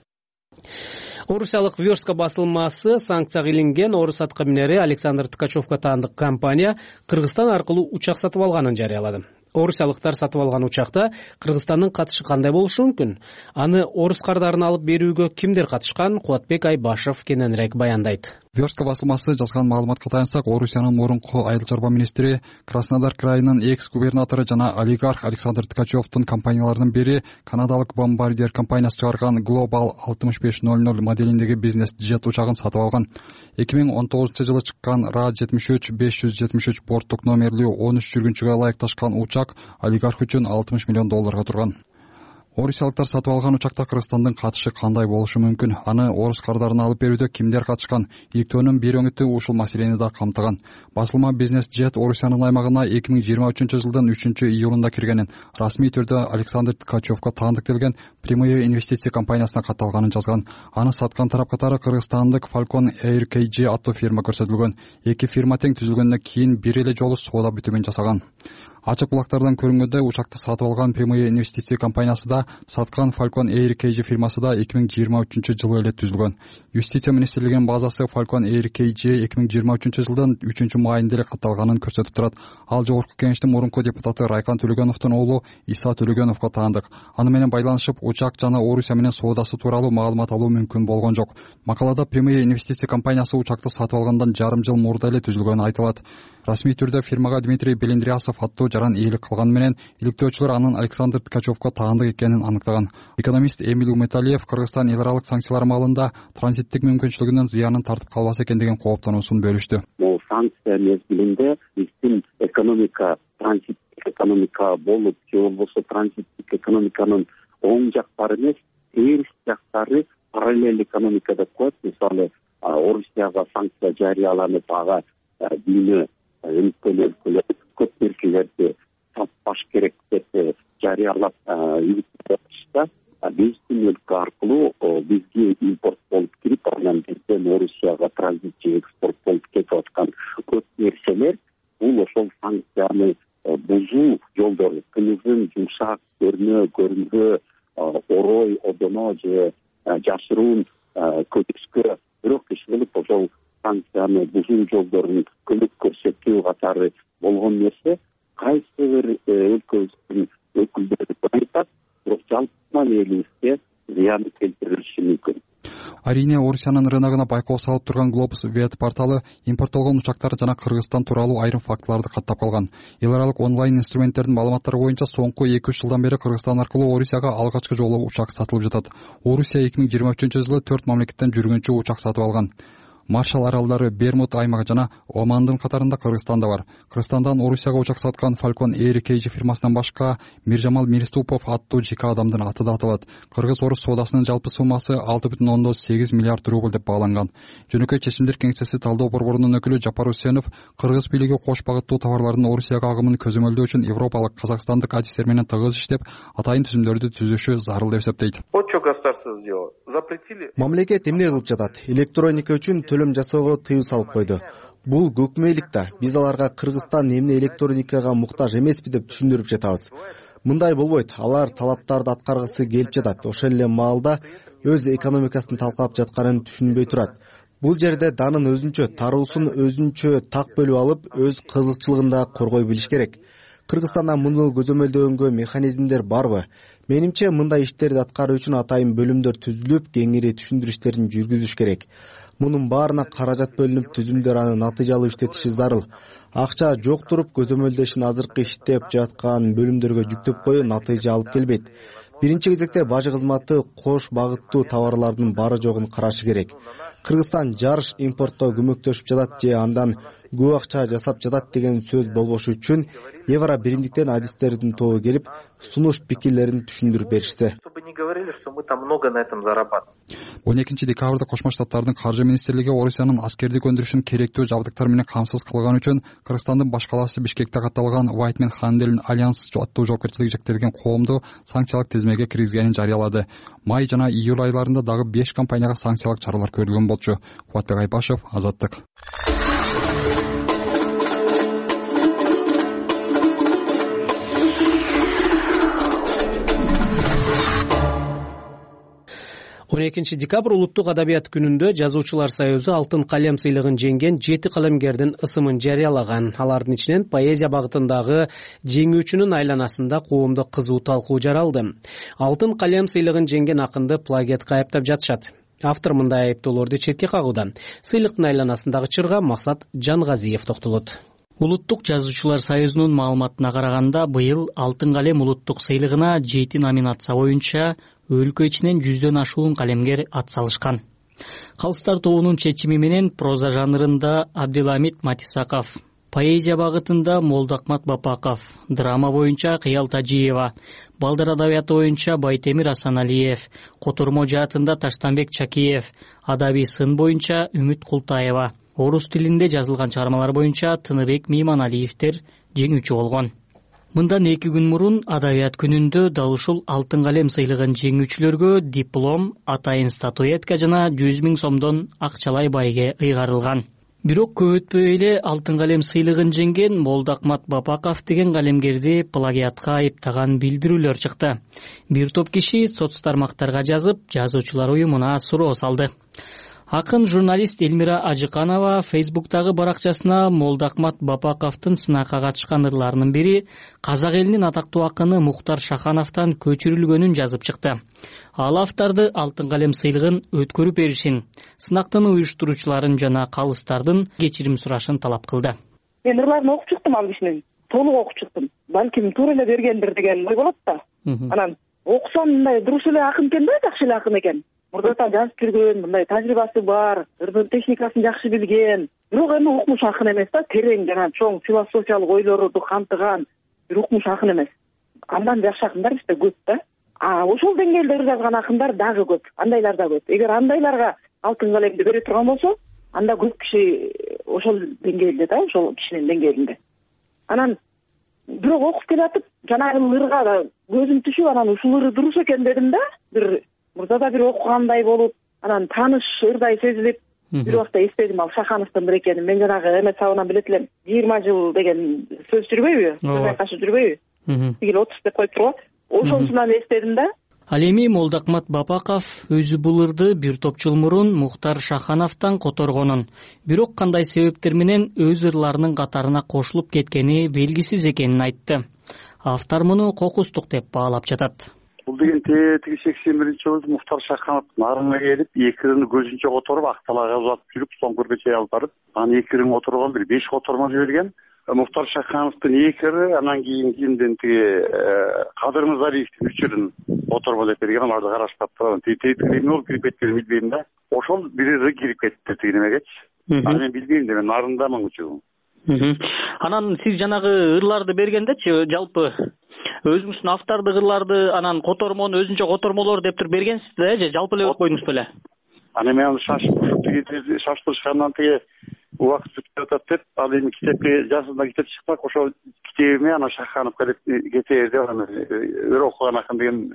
Орусиялык Верстка басылмасы санкцияга илинген орус аткаминери Александр Ткачевго таандык компания Кыргызстан аркылуу учак сатып алганын жарыялады. Орусиялыктар сатып алган учакта Кыргызстандын катышы кандай болушу мүмкүн? Аны орус кардарын алып берүүгө кимдер катышкан? Кубатбек Айбашев кененирээк баяндайт. Верстка басылмасы жазган маалыматка таянсак, Орусиянын мурунку айыл чарба министри, Краснодар крайынын экс-губернатору жана олигарх Александр Ткачевдун компанияларынын бири канадалык Bombardier компаниясы чыгарган Global 6500 моделиндеги бизнес джет учагын сатып алган. 2019-жылы чыккан RA-73-573 борттук номерлүү 13 жүргүнчүгө ылайыкташкан учак олигарх үчүн $60 миллион турган. Орусиялыктар сатып алган учакта Кыргызстандын катышы кандай болушу мүмкүн? Аны орус кардарына алып берүүдө кимдер катышкан? Иликтөөнүн бир өңүтү ушул маселени да камтыган. Басылма Бизнес Джет Орусиянын аймагына 2023-жылдын 3-июлунда киргенин, расмий түрдө Александр Ткачевго таандыктелген Прямые инвестиция компаниясына катталганын жазган. Аны саткан тарап катары кыргызстандык Falcon Air KG аттуу фирма көрсөтүлгөн. Эки фирма тең түзүлгөндөн кийин бир эле жолу соода бүтүмүн жасаган. Ачык булактардан көрүнгөндөй, учакты сатып алган Прямые инвестиция компаниясы да, саткан Falcon Air KG фирмасы да 2023-жылы эле түзүлгөн. Юстиция министрлигинин базасы Falcon Air KG 2023-жылдын 3-майында эле катталганын көрсөтүп турат. Ал жогорку кеңештин мурунку депутаты Райкан Төлөгөновдун уулу Иса Төлөгөновго таандык. Аны менен байланышып, учак жана Орусия менен соодасы тууралуу маалымат алуу мүмкүн болгон жок. Макалада Прямые инвестиция компаниясы учакты сатып алгандан жарым жыл мурда эле түзүлгөнү айтылат. Расмий түрдө фирмага Дмитрий Белендрясов аттуу жаран ээлик кылганы менен иликтөөчүлөр анын Александр Ткачевго таандык экенин аныктаган. Экономист Эмил Уметалиев Кыргызстан эл аралык санкциялар маалында транзиттик мүмкүнчүлүгүнүн зыянын тартып калбаса экен деген кооптонуусун бөлүштү. Бул санкция мезгилинде биздин экономика транзиттик экономика болуп, же болбосо транзиттик экономиканын оң жактары эмес, терс жактары параллель экономикада коет. Мисалы, Орусияга санкция жарыяланып, ага дүйнө өлкөлөр көп нерселерди сатпаш керек деп жарыялап үйүттүрүштө, биздин өлкө аркылуу бизге импорт болуп кирип, анан бизден Орусияга транзит же экспорт болуп кетип аткан көп нерселер бул ошол санкцияны бузуу жолдору. Кымызын жумшак, көрүнгө, орой, одоно же жашыруун көчкө бирок иш кылып ошол санкцияны бузуу жолдорун көмөк көрсөтүү катары болгон нерсе кайсы бир өлкөбүздүн өкүлдөрү айтат, бирок жалпы элибизге зыян келтириши мүмкүн. Арине Орусиянын рыногуна байкоо салып турган Globus Vet порталы импорттолгон учактар жана Кыргызстан тууралуу айрым фактыларды каттап калган. Эл аралык онлайн инструменттердин маалыматтары боюнча соңку 2-3 жылдан бери Кыргызстан аркылуу Орусияга алгачкы жолу учак сатылып жатат. Орусия 2023-жылы 4 мамлекеттен жүргүнчү учак сатып алган. Маршалл аралдары, Бермуд аймагы жана Омандын катарында Кыргызстан да бар. Кыргызстандан Орусияга учак саткан Falcon Air KG фирмасынан башка Миржамал Мириступов аттуу жеке адамдын аты да аталат. Кыргыз-орус соодасынын жалпы суммасы 6,8 миллиард рубль деп бааланган. Жөнөкөй чечимдер кеңсеси талдоо борборунун өкүлү Жапар Усенов кыргыз бийлиги кош багыттуу товарлардын Орусияга агымын көзөмөлдөө үчүн европалык, казакстандык адистер менен тыгыз иштеп, атайын түзүмдөрдү түзүшү зарыл деп эсептейт. Вот что государство сделало. Запретили. Мамлекет эмне кылып жатат? Электроника үчүн төлөм жасоого тыюу салып койду. Бул көкмейлик да. Биз аларга Кыргызстан эмне электроникага муктаж эмеспи деп түшүндүрүп жатабыз. Мындай болбойт. Алар талаптарды аткаргысы келип жатат. Ошол эле маалда өз экономикасын талкалап жатканын түшүнбөй турат. Бул жерде данын өзүнчө, таруусун өзүнчө так бөлүп алып, өз кызыкчылыгын да коргой билиш керек. Кыргызстанда муну көзөмөлдөгөнгө механизмдер барбы? Менимче мындай иштерди аткаруу үчүн атайын бөлүмдөр түзүлүп, кеңири түшүндүрүү иштерин жүргүзүш керек. Мунун баарына каражат бөлүнүп, түзүмдөр аны натыйжалуу иштетиши зарыл. Акча жок туруп, көзөмөлдөшүн азыркы иштеп жаткан бөлүмдөргө жүктөп коюу натыйжа алып келбейт. Биринчи кезекте бажы кызматы кош багыттуу товарлардын бары жогун карашы керек. Кыргызстан жарыш импортко көмөктөшүп жатат же андан көп акча жасап жатат деген сөз болбошу үчүн Евро биримдиктен адистердин тобу келип, сунуш пикирлерин түшүндүрүп беришсе. Чтобы не говорили, что мы там много на этом зарабатываем. 12 декабрда Кошмо Штаттардын каржы министрлиги Орусиянын аскердик өндүрүшүн керектүү жабдыктар менен камсыз кылган үчүн Кыргызстандын баш калаасы Бишкекте катталган Whiteman Handel Alliance аттуу жоопкерчилиги жектелген коомду санкциялык тизмеге киргизгенин жарыялады. Май жана июль айларында дагы 5 компанияга санкциялык чаралар көрүлгөн болчу. Кубатбек Айбашев, Азаттык. Он 12 декабрь улуттук адабият күнүндө Жазуучулар союзу Алтын калем сыйлыгын жеңген 7 калемгердин ысымын жарыялаган. Алардын ичинен поэзия багытындагы жеңүүчүнүн айланасында коомдо кызуу талкуу жаралды. Алтын калем сыйлыгын жеңген акынды плагиатка айыптап жатышат. Автор мындай айыптоолорду четке кагууда. Сыйлыктын айланасындагы чырга Максат Жангазиев токтолот. Улуттук жазуучулар союзунун маалыматына караганда, быйыл Алтын калем улуттук сыйлыгына 7 номинация боюнча өлкө ичинен 100дөн ашуун калемгер атсалышкан. Калыстар тобунун чечими менен проза жанрында Абдиламит Матисаков, поэзия багытында Молдакмат Бапаков, драма боюнча Кыял Тажиева, балдар адабияты боюнча Байтемир Асаналиев, котормо жаатында Таштанбек Чакиев, адабий сын боюнча Үмүт Култаева, орус тилинде жазылган чыгармалар боюнча Тыныбек Мейманалиевдер жеңүүчү болгон. Мындан 2 күн мурун адабият күнүндө дал ушул Алтын калем сыйлыгын жеңүүчүлөргө диплом, атайын статуэтка жана 100 000 сомдон акчалай байге ыйгарылган. Бирок көп өтпөй эле Алтын калем сыйлыгын жеңген Молдакмат Бапаков деген калемгерди плагиатка айыптаган билдирүүлөр чыкты. Бир топ киши соц тармактарга жазып, жазуучулар уюмуна суроо салды. Акын журналист Элмира Ажыканова Фейсбуктагы баракчасына Молдакмат Бапаковдун сынакка катышкан ырларынын бири казак элинин атактуу акыны Мухтар Шахановдон көчүрүлгөнүн жазып чыкты. Ал авторду Алтын калем сыйлыгын өткөрүп беришин, сынактын уюштуруучуларын жана калыстардын кечирим сурашын талап кылды. Мен ырларын окуп чыктым ал кишинин, толук окуп чыктым. Балким туура эле бергендир деген ой болот да. Анан окусам мындай дурус эле акын экен да, жакшы эле акын экен. Мурдатан жазып жүргөн, мындай тажрыйбасы бар, ырдын техникасын жакшы билген. Бирок эми укмуш акын эмес да, терең жана чоң философиялык ойлорду камтыган бир укмуш акын эмес. Андан жакшы акындар бизде көп да. Ошол деңгээлде ыр жазган акындар дагы көп, андайлар да көп. Эгер андайларга Алтын калемди бере турган болсо, анда көп киши ошол деңгээлде да, ошол кишинин деңгээлинде. Анан бирок окуп келатып, жанагы ырга көзүм түшүп, анан ушул ыры дурус экен дедим да, бир мурдада бир окугандай болуп, анан тааныш ырдай сезилип, бир убакта эстедим ал Шахановдун экенин. Мен жанагы эмес сабынан билет элем. 20 жыл деген сөз жүрбөйбү? Сөз кашы жүрбөйбү? Тигил 30 деп коюп турган. Ошонусунан эстедим да. Ал эми Молдакмат Бапаков өзү бул ырды бир топ жыл мурун Мухтар Шахановдон которгонун, бирок кандай себептер менен өз ырларынын катарына кошулуп кеткени белгисиз экенин айтты. Автор муну кокустук деп баалап жатат. бул деген тиги 81-жылы Муктар Шахановдун арына келип, эки ырын көзүнчө которуп, Акталайга узатып жүрүп, соңкурга чейин алып барып, анан эки ырын которгон бир 5 котормо жиберген. Муктар Шахановдун эки ыры, анан кийин тиги Кадыр Мырзалиевдин 3 ырын котормо деп берген, аларды караштап турган. Тиги болуп кирип кеткенин билбейм да. Ошол бир ыры кирип кетти тиги немегечи. Анан мен билбейм да, мен нарындамын үчүн. Анан сиз жанагы ырларды бергендечи, жалпы өзүңүздүн автордук ырларды, анан котормону өзүнчө котормолор деп туруп бергенсиз да, же жалпы эле өтүп койдуңуз беле? Анан мен шаштырышкандан тиги убакыт өтүп атат деп, ал эми китепке жазында китеп чыкпак, ошол китебиме анан Шахановго кетээр деп анан ыр окуган акын деген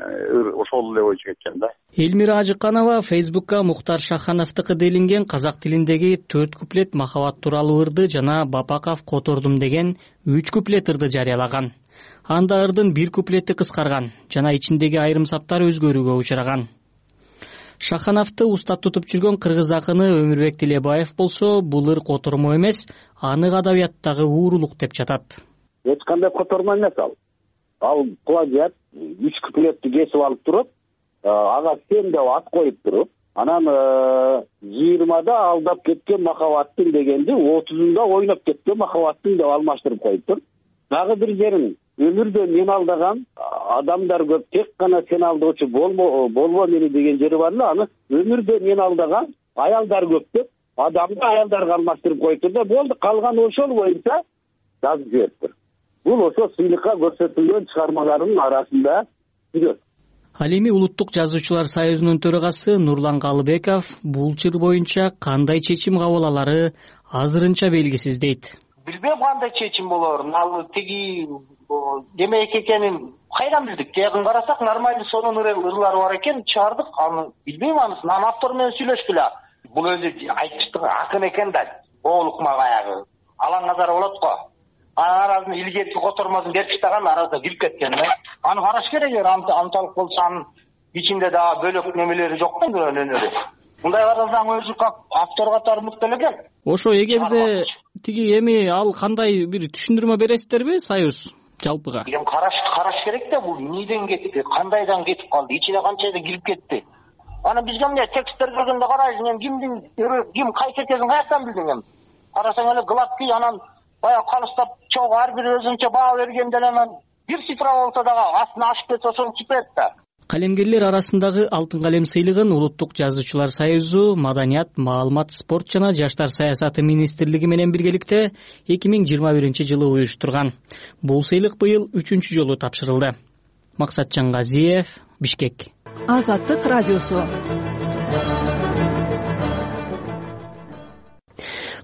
ошол эле боюнча кеткен да. Элмира Ажыканова Фейсбукка Муктар Шахановдуку делинген казак тилиндеги 4 куплет махабат тууралуу ырды жана Бапаков котордум деген 3 куплет ырды жарыялаган. Анда ырдын 1 куплети кыскарган жана ичиндеги айрым саптар өзгөрүүгө учураган. Шахановду устат тутуп жүргөн кыргыз акыны Өмүрбек Тилебаев болсо, бул ыр котормо эмес, анык адабияттагы уурулук деп жатат. Эч кандай котормо эмес ал. Ал плагиат 3 куплетти кесип алып туруп, ага сен деп ат коюп туруп, анан 20да алдап кеткен махабаттың дегенди 30-да ойноп кеткен махабаттың деп алмаштырып коюптур. Дагы бир жерин өмүрдө мен алдаган адамдар көп, тек гана сен алдоочу болбо мени деген жери бар эле. Аны өмүрдө мен алдаган аялдар көп деп, адамды аялдарга алмаштырып коюптур да, болду, калган ошол боюнча жазып жибериптир. Бул ошо сыйлыкка көрсөтүлгөн чыгармалардын арасында жүрөт. Ал эми Улуттук жазуучулар союзунун төрагасы Нурлан Калыбеков бул чыр боюнча кандай чечим кабыл алары азырынча белгисиз дейт. Билбейм кандай чечим болорун, ал тиги демек экенин кайдан билдик? Тегин карасак нормальный сонун ырлары бар экен, чыгардык. Аны билбейм анысын. Анан автор менен сүйлөшкүлө. Бул өзү айтчытык акын экен да, оолукма баягы алаң азар болот го. Анан арасын илгерки котормосун берип таштаган, арада кирип кеткен. Аны караш керек, анталык болсо анын ичинде дагы бөлөк немелери жок да, өнөрү. Мындай карасаң өзү автор катары мыкты экен. Ошо эгерде тиги эми ал кандай бир түшүндүрмө бересиздерби союз жалпыга? Эми караш керек да, бул эмнеден кетти, кандайдан кетип калды, ичине канчайда кирип кетти. Анан бизге эмне тексттер көргөндө карайсың, эми ким кайсы экенин каяктан билдиң эми? Карасаң эле гладкий, анан баягы калыстап чогуу ар бир өзүнчө баа бергенде анан бир цифра болсо дагы астына ашып кетсе ошону чыпет да. Калемгерлер арасындагы алтын калем сыйлыгын Улуттук жазуучулар союзу, Маданият, маалымат, спорт жана жаштар саясаты министрлиги менен биргеликте 2021-жылы уюштурган. Бул сыйлык быйыл 3-чү жолу тапшырылды. Максатжан Газиев, Бишкек. Азаттык радиосу.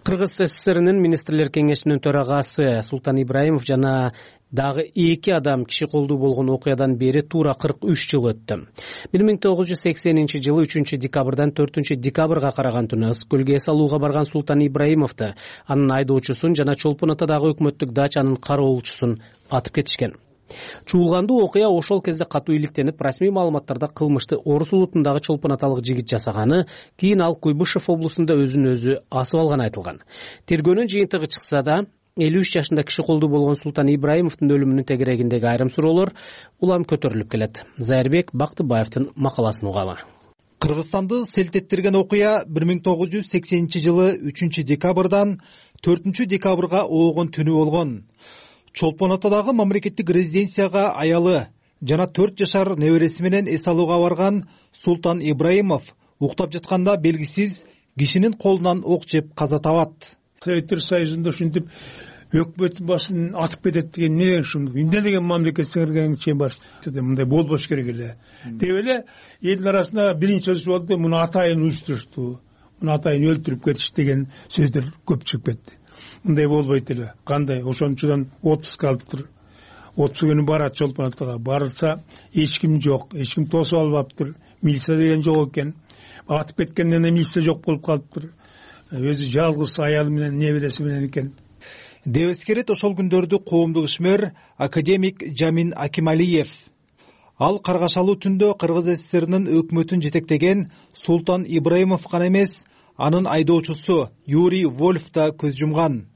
Кыргыз СССРнин министрлер кеңешинин төрагасы Султан Ибраимов жана дагы 2 адам киши колдуу болгон окуядан бери туура 43 жыл өттү. 1980-жылы 3-декабрдан 4-декабрга караган түнү Ысык көлгө эс алууга барган Султан Ибраимовду, анын айдоочусун жана Чолпон атадагы өкмөттүк дачанын кароолчусун атып кетишкен. Чуулгандуу окуя ошол кезде катуу иликтенип, расмий маалыматтарда кылмышты Орус улутундагы Чолпон аталык жигит жасаганы, кийин ал Куйбышев облусунда өзүн өзү асып алганы айтылган. Тергөөнүн жыйынтыгы чыкса да, 53 жашында киши колдуу болгон Султан Ибраимовдун өлүмүнүн тегерегиндеги айрым суроолор улам көтөрүлүп келет. Зайырбек Бактыбаевдин макаласын угалы. Кыргызстанды селтеттирген окуя 1980-жылы 3-декабрдан 4-декабрга оогон түнү болгон. Чолпон атадагы мамлекеттик резиденцияга аялы жана 4 жашар небереси менен эс алууга барган Султан Ибраимов уктап жатканда белгисиз кишинин колунан ок жеп каза табат. Советтер Союзунда ушинтип өкмөттүн башын атып кетет деген эмне ушундук, эмне деген мамлекет сиңирген чейин бар. Мындай болбош керек эле деп эле элдин арасында биринчи сөз болду, муну атайын уюштурушту, муну атайын өлтүрүп кетиш деген сөздөр көп чыгып кетти. Мындай болбойт эле. Кандай? Ошончудан отпуск алыптыр. Отпуск күнү барат Чолпон атага. Барса эч ким жок, эч ким тосуп албаптыр. Милиция деген жок экен. Атып кеткенден кийин милиция жок болуп калыптыр. Өзү жалгыз аялы менен небереси менен экен. Деп эскерет ошол күндөрдү коомдук ишмер академик Жамин Акималиев. Ал каргашалуу түндө Кыргыз СССРнин өкмөтүн жетектеген Султан Ибраимов гана эмес, анын айдоочусу Юрий Вольф да көз жумган.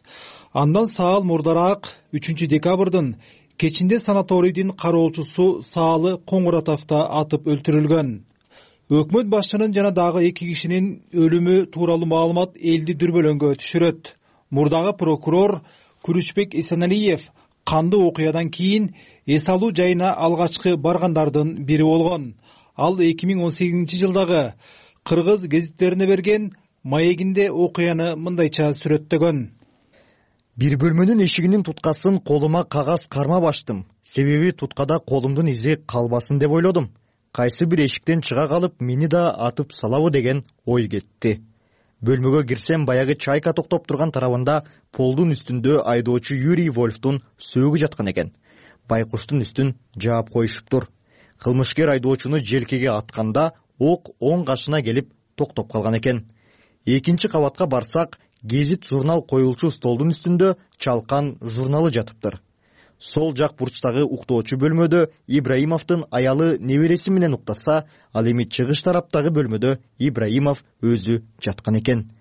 Андан саал мурдараак 3-декабрдын Кечинде санаторийдин кароочусу Саалы Коңуратовто атып өлтүрүлгөн. Өкмөт башчынын жана дагы 2 кишинин өлүмү тууралуу маалымат элди дүрбөлөңгө түшүрөт. Мурдагы прокурор Күрүчбек Эсеналиев кандуу окуядан кийин эс алуу жайына алгачкы баргандардын бири болгон. Ал 2018-жылдагы кыргыз гезиттерине берген маегинде окуяны мындайча сүрөттөгөн. Бир бөлмөнүн эшигинин туткасын колума кагаз кармап ачтым. Себеби туткада колумдун изи калбасын деп ойлодум. Кайсы бир эшиктен чыга калып, мени да атып салабы деген ой кетти. Бөлмөгө кирсем, баягы чайка токтоп турган тарабында полдун үстүндө айдоочу Юрий Вольфтун сөөгү жаткан экен. Байкуштун үстүн жаап коюшуптур. Кылмышкер айдоочуну желкеге атканда ок оң кашына келип токтоп калган экен. Экинчи кабатка барсак, гезит журнал коюлчу столдун үстүндө чалкан журналы жатыптыр. Сол жак бурчтагы уктоочу бөлмөдө Ибраимовдун аялы небереси менен уктаса, ал эми чыгыш тараптагы бөлмөдө Ибраимов өзү жаткан экен.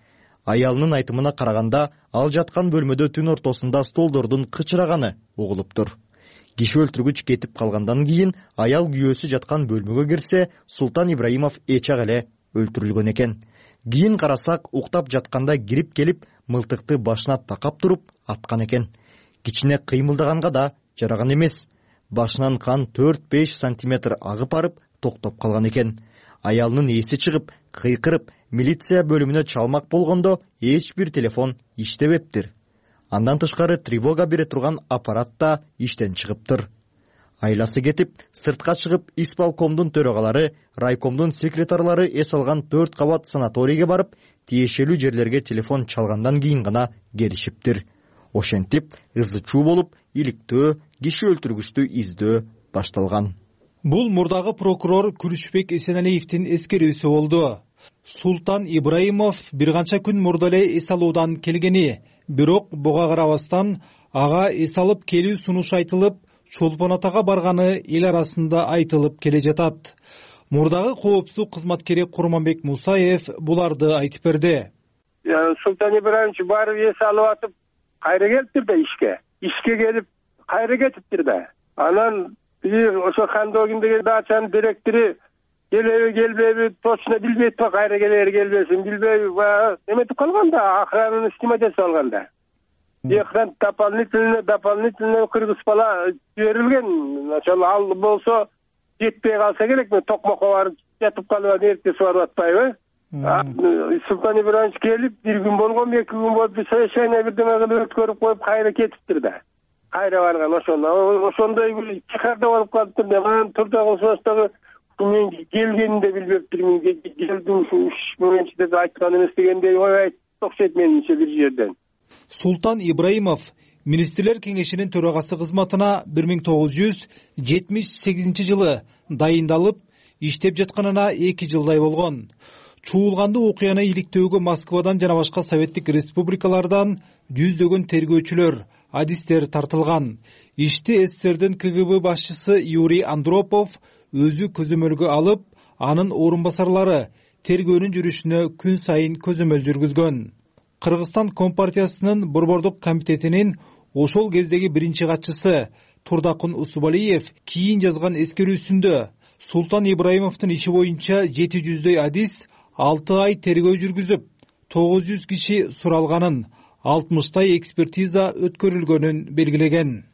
Аялынын айтымына караганда, ал жаткан бөлмөдө түн ортосунда столдордун кычыраганы угулуптур. Киши өлтүргүч кетип калгандан кийин аял күйөөсү жаткан бөлмөгө кирсе, Султан Ибраимов эчак эле өлтүрүлгөн экен. Кийин карасак, уктап жатканда кирип келип, мылтыкты башына такап туруп аткан экен. Кичине кыймылдаганга да жараган эмес. Башынан кан 4-5 сантиметр агып барып токтоп калган экен. Аялынын эси чыгып, кыйкырып, милиция бөлүмүнө чалмак болгондо эч бир телефон иштебептир. Андан тышкары тревога бере турган аппарат да иштен чыгыптыр. Айласы кетип, сыртка чыгып, исполкомдун төрагалары, райкомдун секретарлары эс алган 4 кабат санаторийге барып, тиешелүү жерлерге телефон чалгандан кийин гана келишиптир. Ошентип, ызы-чуу болуп, иликтөө, киши өлтүргүчтү издөө башталган. Бул мурдагы прокурор Күрүчбек Эсеналиевдин эскерүүсү болду. Султан Ибраимов бир канча күн мурда эле эс алуудан келгени, бирок буга карабастан ага эс алып келүү сунуш айтылып, Чолпон Атага барганы эл арасында айтылып келе жатат. Мурдагы коопсуздук кызматкери Курманбек Мусаев буларды айтып берди. Султан Ибраимович барып эс алып атып, кайра келиптир да ишке келип кайра кетиптир да. Анан ошо Хандогиндеги дачанын директору келбейби точно билбейт да, кайра келер келбесин билбейби, эметип калган да, охрананы снимать этип алган да. Экран дополнительно кыргыз бала жиберилген. Ошол ал болсо жетпей калса керек, мен токмокко барып жатып калып эртеси барып атпайбы? Султан Ибраимович келип, бир күн болгон, 2 күн болуп, совещание бирдеме кылып өткөрүп коюп, кайра кетиптир да. Кайра барган ошондой бир чыгарда болуп калыптыр да. Анан турда кылсыбастагы мен келгенин де билбептирмин. Келдим ушу менчиде айткан эмес дегендей ой окшойт менимче бир жерден. Султан Ибраимов Министрлер кеңешинин төрагасы кызматына 1978-жылы дайындалып, иштеп жатканына 2 жылдай болгон. Чуулгандуу окуяны иликтөөгө Москвадан жана башка советтик республикалардан жүздөгөн тергөөчүлөр, адистер тартылган. Ишти СССРдин КГБ башчысы Юрий Андропов өзү көзөмөлгө алып, анын орун басарлары тергөөнүн жүрүшүнө күн сайын көзөмөл жүргүзгөн. Кыргызстан Компартиясынын Борбордук комитетинин ошол кездеги биринчи катчысы Турдакун Усубалиев кийин жазган эскерүүсүндө Султан Ибраимовдун иши боюнча 700дөй адис 6 ай тергөө жүргүзүп, 900 киши суралганын, 60 экспертиза өткөрүлгөнүн белгилеген.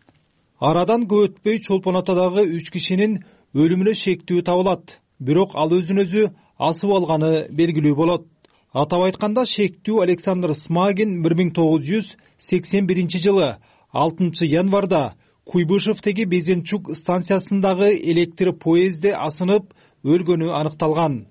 Арадан көп өтпөй Чолпон Атадагы 3 кишинин өлүмүнө шектүү табылат, бирок ал өзүн өзү асып алганы белгилүү болот. Атап айтканда, шектүү Александр Смагин 1981-жылы 6 январда Куйбышевдеги Безенчук станциясындагы электр поездде асынып өлгөнү аныкталган.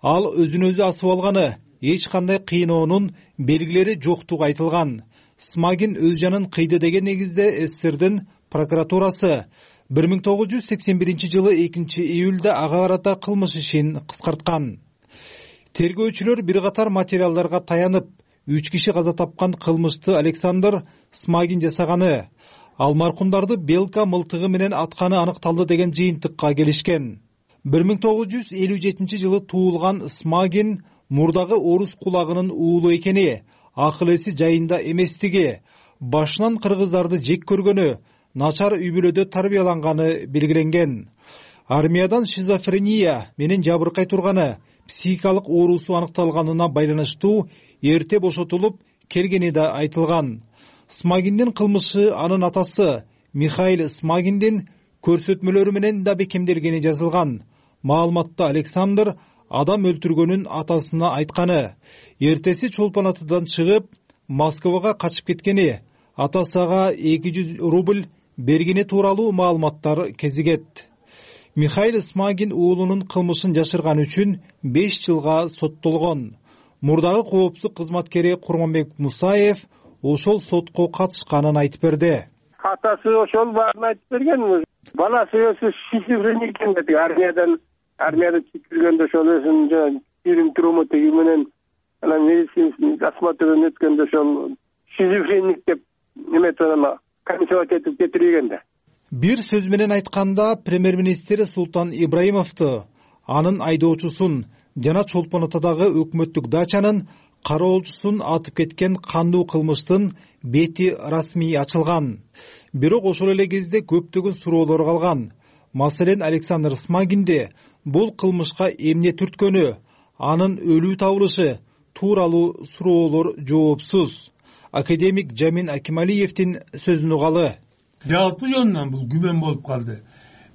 Ал өзүн өзү асып алганы, эч кандай кыйноонун белгилери жоктугу айтылган. Смагин өз жанын кыйды деген негизде СССРдин прокуратурасы 1981-жылы 2-июлда ага карата кылмыш ишин кыскарткан. Тергөөчүлөр бир катар материалдарга таянып, 3 киши каза тапкан кылмышты Александр Смагин жасаганы, ал маркумдарды белка мылтыгы менен атканы аныкталды деген жыйынтыкка келишкен. 1957-жылы туулган Смагин мурдагы орус кулагынын уулу экени, акыл эси жайында эместиги, башынан кыргыздарды жек көргөнү, начар үй бүлөдө тарбияланганы белгиленген. Армиядан шизофрения менен жабыркай турганы, психикалык оорусу аныкталганына байланыштуу эрте бошотулуп келгени да айтылган. Смагиндин кылмышы анын атасы Михаил Смагиндин көрсөтмөлөрү менен да бекемделгени жазылган. Маалыматта Александр адам өлтүргөнүн атасына айтканы, эртеси Чолпон Атадан чыгып Москвага качып кеткени, атасы ага 200 рубль бергени тууралуу маалыматтар кезигет. Михаил Смагин уулунун кылмышын жашырган үчүн 5 жылга соттолгон. Мурдагы коопсуздук кызматкери Курманбек Мусаев ошол сотко катышканын айтып берди. Атасы ошол баарын айтып берген. Баласы өзү шизофреник экен деди. Армияда чекилгенде ошол өзүнүн жүрүм туруму теги менен анан медицинский осмотрдон өткөндө ошол шизофреник деп эметип комиссия этип кетирген да. Бир сөз менен айтканда, премьер-министр Султан Ибраимовду, анын айдоочусун жана Чолпон Атадагы өкмөттүк дачанын кароолчусун атып кеткен кандуу кылмыштын бети расмий ачылган. Бирок ошол эле кезде көптөгөн суроолор калган. Маселен, Александр Смагинди бул кылмышка эмне түрткөнү, анын өлүү табылышы тууралуу суроолор жоопсуз. Академик Жамин Акималиевдин сөзүн угалы. Жалпы жөнүнөн бул күмөн болуп калды.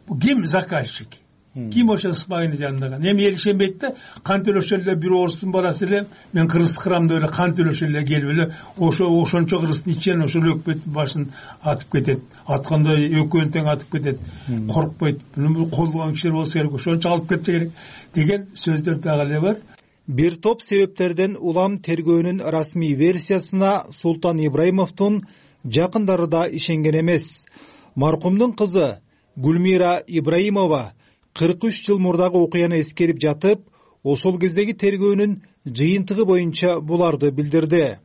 Бул ким заказчик? Ким ошо Смагинди жанындаган? Эми эл ишенбейт да, кант өлөшө эле бир орустун баласы эле, мен кыргызды кырам деп эле кант өлөшө эле келип эле ошончо кыргыздын ичинен ошол өкмөттүн башын атып кетет. Атканда экөөнү тең атып кетет. Коркпойт. Муну колдогон кишилер болсо керек, ошончо алып кетсе керек деген сөздөр дагы эле бар. Бир топ себептерден улам тергөөнүн расмий версиясына Султан Ибраимовдун жакындары да ишенген эмес. Маркумдун кызы Гүлмира Ибраимова 43 жыл мурдагы окуяны эскерип жатып, ошол кездеги тергөөнүн жыйынтыгы боюнча буларды билдирди.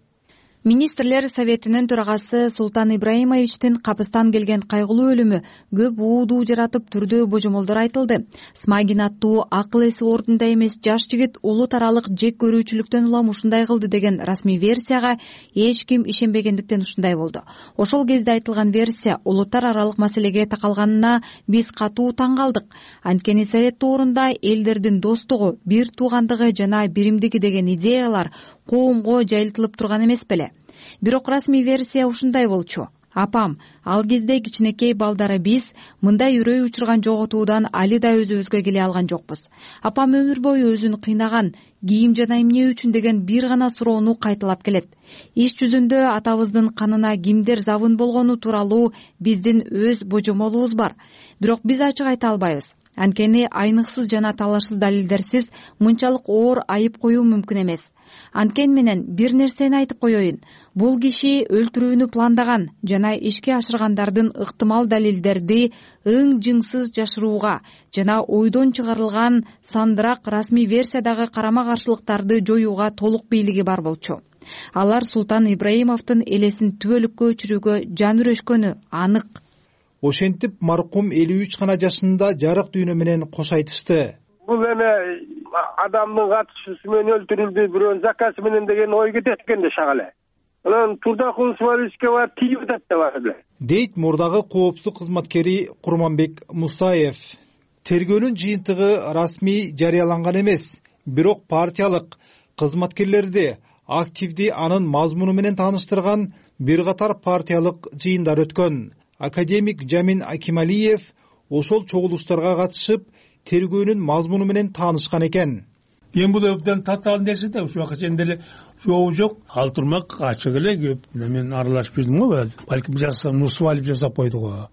Министрлер Советинин төрагасы Султан Ибраимовичтин капыстан келген кайгылуу өлүмү көп уудуу жаратып түрдүү божомолдор айтылды. Смагин аттуу акыл эси ордунда эмес жаш жигит улут аралык жек көрүүчүлүктөн улам ушундай кылды деген расмий версияга эч ким ишенбегендиктен ушундай болду. Ошол кезде айтылган версия улуттар аралык маселеге такалганына биз катуу таң калдык. Анткени Совет доорунда элдердин достугу, бир туугандыгы жана биримдиги деген идеялар коомго жайылтылып турган эмес беле? Бирок расмий версия ушундай болчу. Апам, ал кезде кичинекей балдары биз мындай үрөй учурган жоготуудан али да өзүбүзгө келе алган жокпуз. Апам өмүр бою өзүн кыйнаган, кийим жана эмне үчүн деген бир гана суроону кайталап келет. Иш жүзүндө атабыздын канына кимдер забын болгону тууралуу биздин өз божомолубуз бар. Бирок биз ачык айта албайбыз. Анткени айныксыз жана талашсыз далилдерсиз мынчалык оор айып коюу мүмкүн эмес. Анткени менен бир нерсени айтып коеюн. Бул киши өлтүрүүнү пландаган жана ишке ашыргандардын ыктымал далилдерди ың-жыңсыз жашырууга жана ойдон чыгарылган сандырак расмий версиядагы карама каршылыктарды жоюуга толук бийлиги бар болчу. Алар Султан Ибраимовдун элесин түбөлүккө өчүрүүгө жан үрөшкөнү анык. Ошентип маркум 53 гана жашында жарык дүйнө менен кош айтышты. Бул эме адамдын катышуусу менен өлтүрүлдү, бирөөнүн заказы менен деген ой кетет экен да шагалы. Анан турдакул свалишке бар тийип атат да бар эле. Дейт мурдагы коопсуздук кызматкери Курманбек Мусаев. Тергөөнүн жыйынтыгы расмий жарыяланган эмес, бирок партиялык кызматкерлерди активди анын мазмуну менен тааныштырган бир катар партиялык жыйындар өткөн. Академик Жамин Акималиев ошол чогулуштарга катышып, тергөөнүн мазмуну менен таанышкан экен. Эми бул абдан татаал нерсе да, ушуга чейин деле жообу жок. Ал турмак ачык эле көп. Мен аралашып жүрдүм го, балким жасасам нусвалип жасап койду го.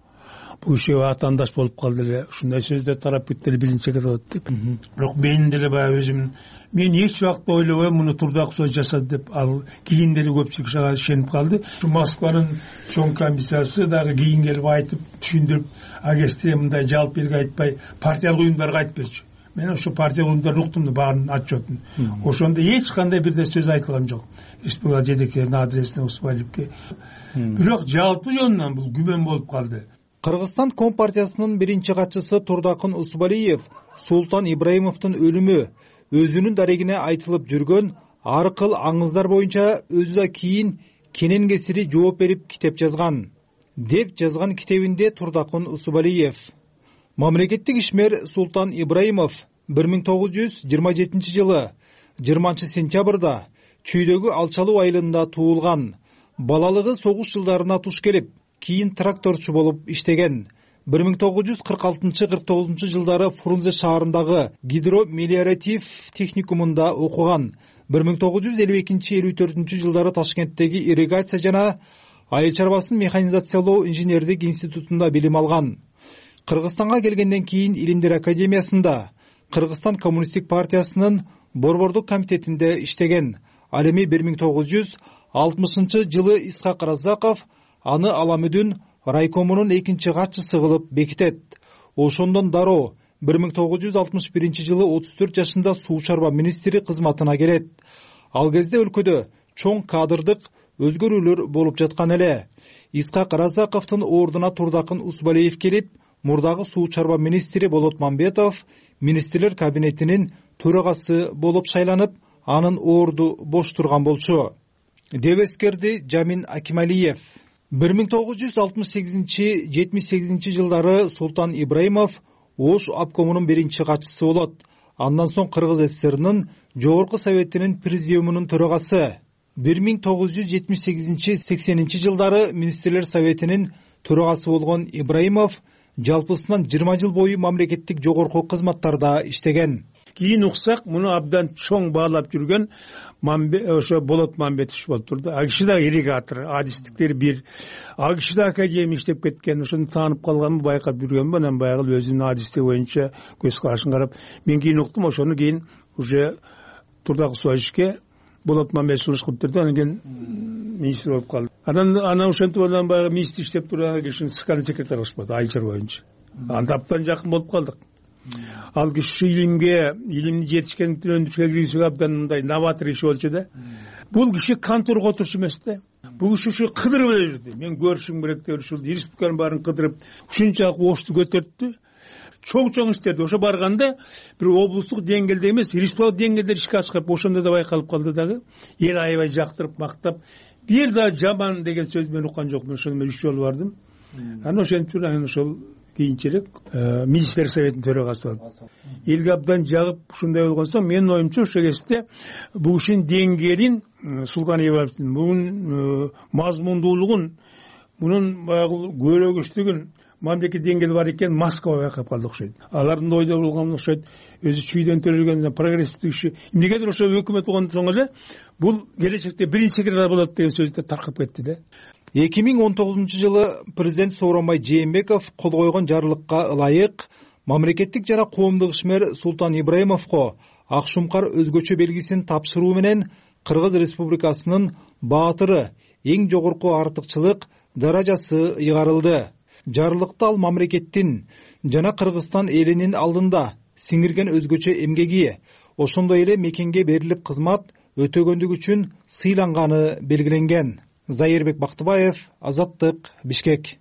Бул ишке атаандаш болуп калды эле. Ушундай сөздөр тарап кетти эле, билинче болот деп. Бирок мен деле баягы өзүм мен эч убакта ойлобойм муну турдак сөз жасады деп. Ал кийин деле көпчүлүк ушуга ишенип калды. Ушу Москванын чоң комиссиясы дагы кийин келип айтып, түшүндүрүп, агесте мындай жалпы элге айтпай, партиялык уюмдарга айтып берчү. Мен ошо партиялык уюмдарды уктум да, баарын отчетун. Ошондо эч кандай бирде сөз айтылган жок. Республика жетекчилеринин адресине Усвалипке. Бирок жалпы жөнүнөн бул күмөн болуп калды. Кыргызстан Компартиясынын биринчи катчысы Турдакын Усубалиев Султан Ибраимовдун өлүмү өзүнүн дарегине айтылып жүргөн ар кыл аңыздар боюнча өзү да кийин кенен кесири жооп берип китеп жазган. деп жазган китебинде Турдакын Усубалиев. Мамлекеттик ишмер Султан Ибраимов 1927 жылы 20 сентябрда Чүйдөгү Алчалуу айылында туулган. Балалыгы согуш жылдарына туш келип, кийин тракторчу болуп иштеген. 1946-49 жылдары Фрунзе шаарындагы гидромелиоратив техникумунда окуган. 1952-54 жылдары Ташкенттеги ирригация жана айыл чарбасын механизациялоо инженердик институтунда билим алган. Кыргызстанга келгенден кийин Илимдер академиясында Кыргызстан коммунисттик партиясынын борбордук комитетинде иштеген. Ал эми 1960 жылы Исхак Разаков аны Аламүдүн райкомунун экинчи катчысы кылып бекитет. Ошондон дароо 1961 жылы 34 жашында суу чарба министри кызматына келет. Ал кезде өлкөдө чоң кадрдык өзгөрүүлөр болуп жаткан эле. Исхак Разаковдун ордуна Турдакын Усубалиев келип, мурдагы суу чарба министри Болот Мамбетов министрлер кабинетинин төрагасы болуп шайланып, анын орду бош турган болчу, деп эскерди Жамин Акималиев. 1968-78 жылдары Султан Ибраимов Ош обкомунун биринчи катчысы болот. Андан соң Кыргыз ССРнын Жогорку Советинин президиумунун төрагасы. 1978-80 жылдары Министрлер Советинин төрагасы болгон Ибраимов жалпысынан 20 жыл бою мамлекеттик жогорку кызматтарда иштеген. Кийин уксак, муну абдан чоң баалап жүргөн ошо Болот Мамбетов болуп турду. Ал киши да ирригатор, адистиктери бир. Ал киши да академия иштеп кеткен. Ошону таанып калганмын, байкап жүргөнмүн. Анан баягы өзүнүн адистиги боюнча көз карашын карап, мен кийин уктум. Ошону кийин уже Турдак Усубалиевке Болот Мамбетов сунуш кылып берди. Анан кийин министр болуп калды. Анан ошентип анан баягы министр иштеп турган кишини скальный секретарь кылышпады, айыл боюнча. Анда абдан жакын болуп калдык. Ал киши илимди жетишкендиктен өндүрүшкө киргизүүгө абдан мындай новатор иши болчу да. Бул киши конторго отурчу эмес да. Бул киши ушу кыдырып эле жүрдү. Мен көрүшүм керек деп ушул республиканын баарын кыдырып, ушунчалык ошту көтөрттү. Чоң иштерди. Ошо барганда бир облустук деңгээлде эмес, республикалык деңгээлде ишке ашкырып, ошондо да байкалып калды дагы. Эл аябай жактырып, мактап, бир да жаман деген сөз мен уккан жокмун. Ошону мен 3 жолу бардым. Анан ошентип анан ошол кийинчерээк министрлер советинин төрагасы болуп элге абдан жагып ушундай болгон соң, менин оюмча ошол кезде бул ишин деңгээлин, Султан Ибраимовдун мунун мазмундуулугун, мунун баягы көрөгүчтүгүн мамлекет деңгээли бар экен, Москва байкап калды окшойт. Алардын ойдо болгон окшойт, өзү чүйдөн төрөлгөн прогрессивдик иши. Эмнегедир ошо өкмөт болгондон соң эле бул келечекте биринчи секретарь болот деген сөз да таркап кетти да. 2019 жылы президент Сооронбай Жээнбеков кол койгон жарлыкка ылайык мамлекеттик жана коомдук ишмер Султан Ибраимовго ак шумкар өзгөчө белгисин тапшыруу менен Кыргыз Республикасынын баатыры, эң жогорку артыкчылык даражасы ыйгарылды. Жарлыкта ал мамлекеттин жана Кыргызстан элинин алдында сиңирген өзгөчө эмгеги, ошондой эле мекенге берилип кызмат өтөгөндүгү үчүн сыйланганы белгиленген. Зайырбек Бактыбаев, Азаттык, Бишкек.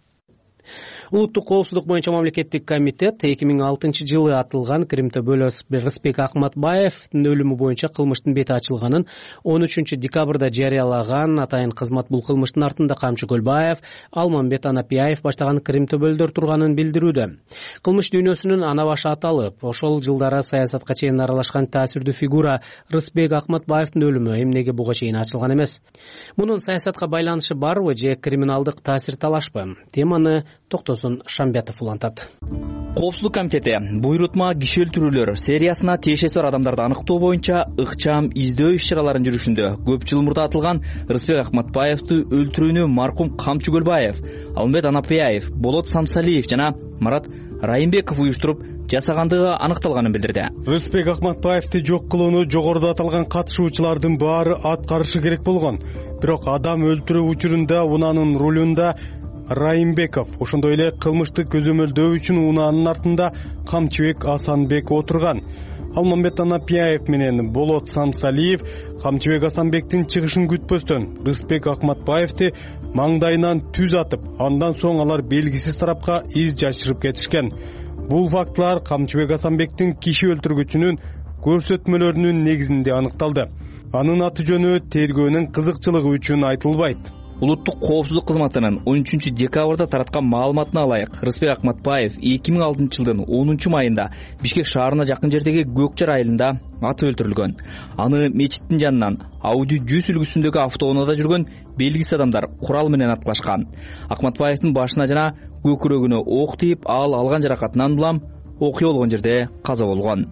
Улуттук коопсуздук боюнча мамлекеттик комитет 2006 жылы атылган Кримтөбөл Рысбек Акматбаевдин өлүмү боюнча кылмыштын бети ачылганын 13 декабрда жарыялаган. Атайын кызмат бул кылмыштын артында Камчы Көлбаев, Алмамбет Анапияев баштаган Кримтөбөлдөр турганын билдирүүдө. Кылмыш дүйнөсүнүн ана башы аталып, ошол жылдары саясатка чейин аралашкан таасирдүү фигура Рысбек Акматбаевдин өлүмү эмнеге буга чейин ачылган эмес? Мунун саясатка байланышы барбы же криминалдык таасир талашпы? Теманы Токтосун Шамбетов улантат. Коопсуздук комитети буйрутма киши өлтүрүүлөр сериясына тиешеси бар адамдарды аныктоо боюнча ыкчам издөө иш-чараларын жүргүзүшүндө көп жыл мурда атылган Рысбек Акматбаевди өлтүрүүнү маркум Камчы Көлбаев, Алмамбет Анапияев, Болот Самсалиев жана Марат Райымбеков уюштуруп жасагандыгы аныкталганын билдирди. Рысбек Акматбаевди жок кылууну жогоруда аталган катышуучулардын баары аткарышы керек болгон. Бирок адам өлтүрүү учурунда унаанын рулунда Райымбеков, ошондой эле кылмыштык көзөмөлдөө үчүн унаанын артында Камчыбек Асанбек отурган. Алмамбет Анапияев менен Болот Самсалиев Камчыбек Асанбектин чыгышын күтпөстөн Рысбек Акматбаевди маңдайынан түз атып, андан соң алар белгисиз тарапка из жашырып кетишкен. Бул фактылар Камчыбек Асанбектин киши өлтүргүчүнүн көрсөтмөлөрүнүн негизинде аныкталды. Анын аты жөнү тергөөнүн кызыкчылыгы үчүн айтылбайт. Улуттук коопсуздук кызматынын 13 декабрда тараткан маалыматына ылайык, Рыспек Акматбаев 2006 жылдын 10 майында Бишкек шаарына жакын жердеги Көкчар айылында атып өлтүрүлгөн. Аны мечиттин жанынан Audi 100 үлгүсүндөгү автоунаада жүргөн белгисиз адамдар курал менен аткылашкан. Акматбаевдин башына жана көкүрөгүнө ок тийип, ал алган жаракатынан улам окуя болгон жерде каза болгон.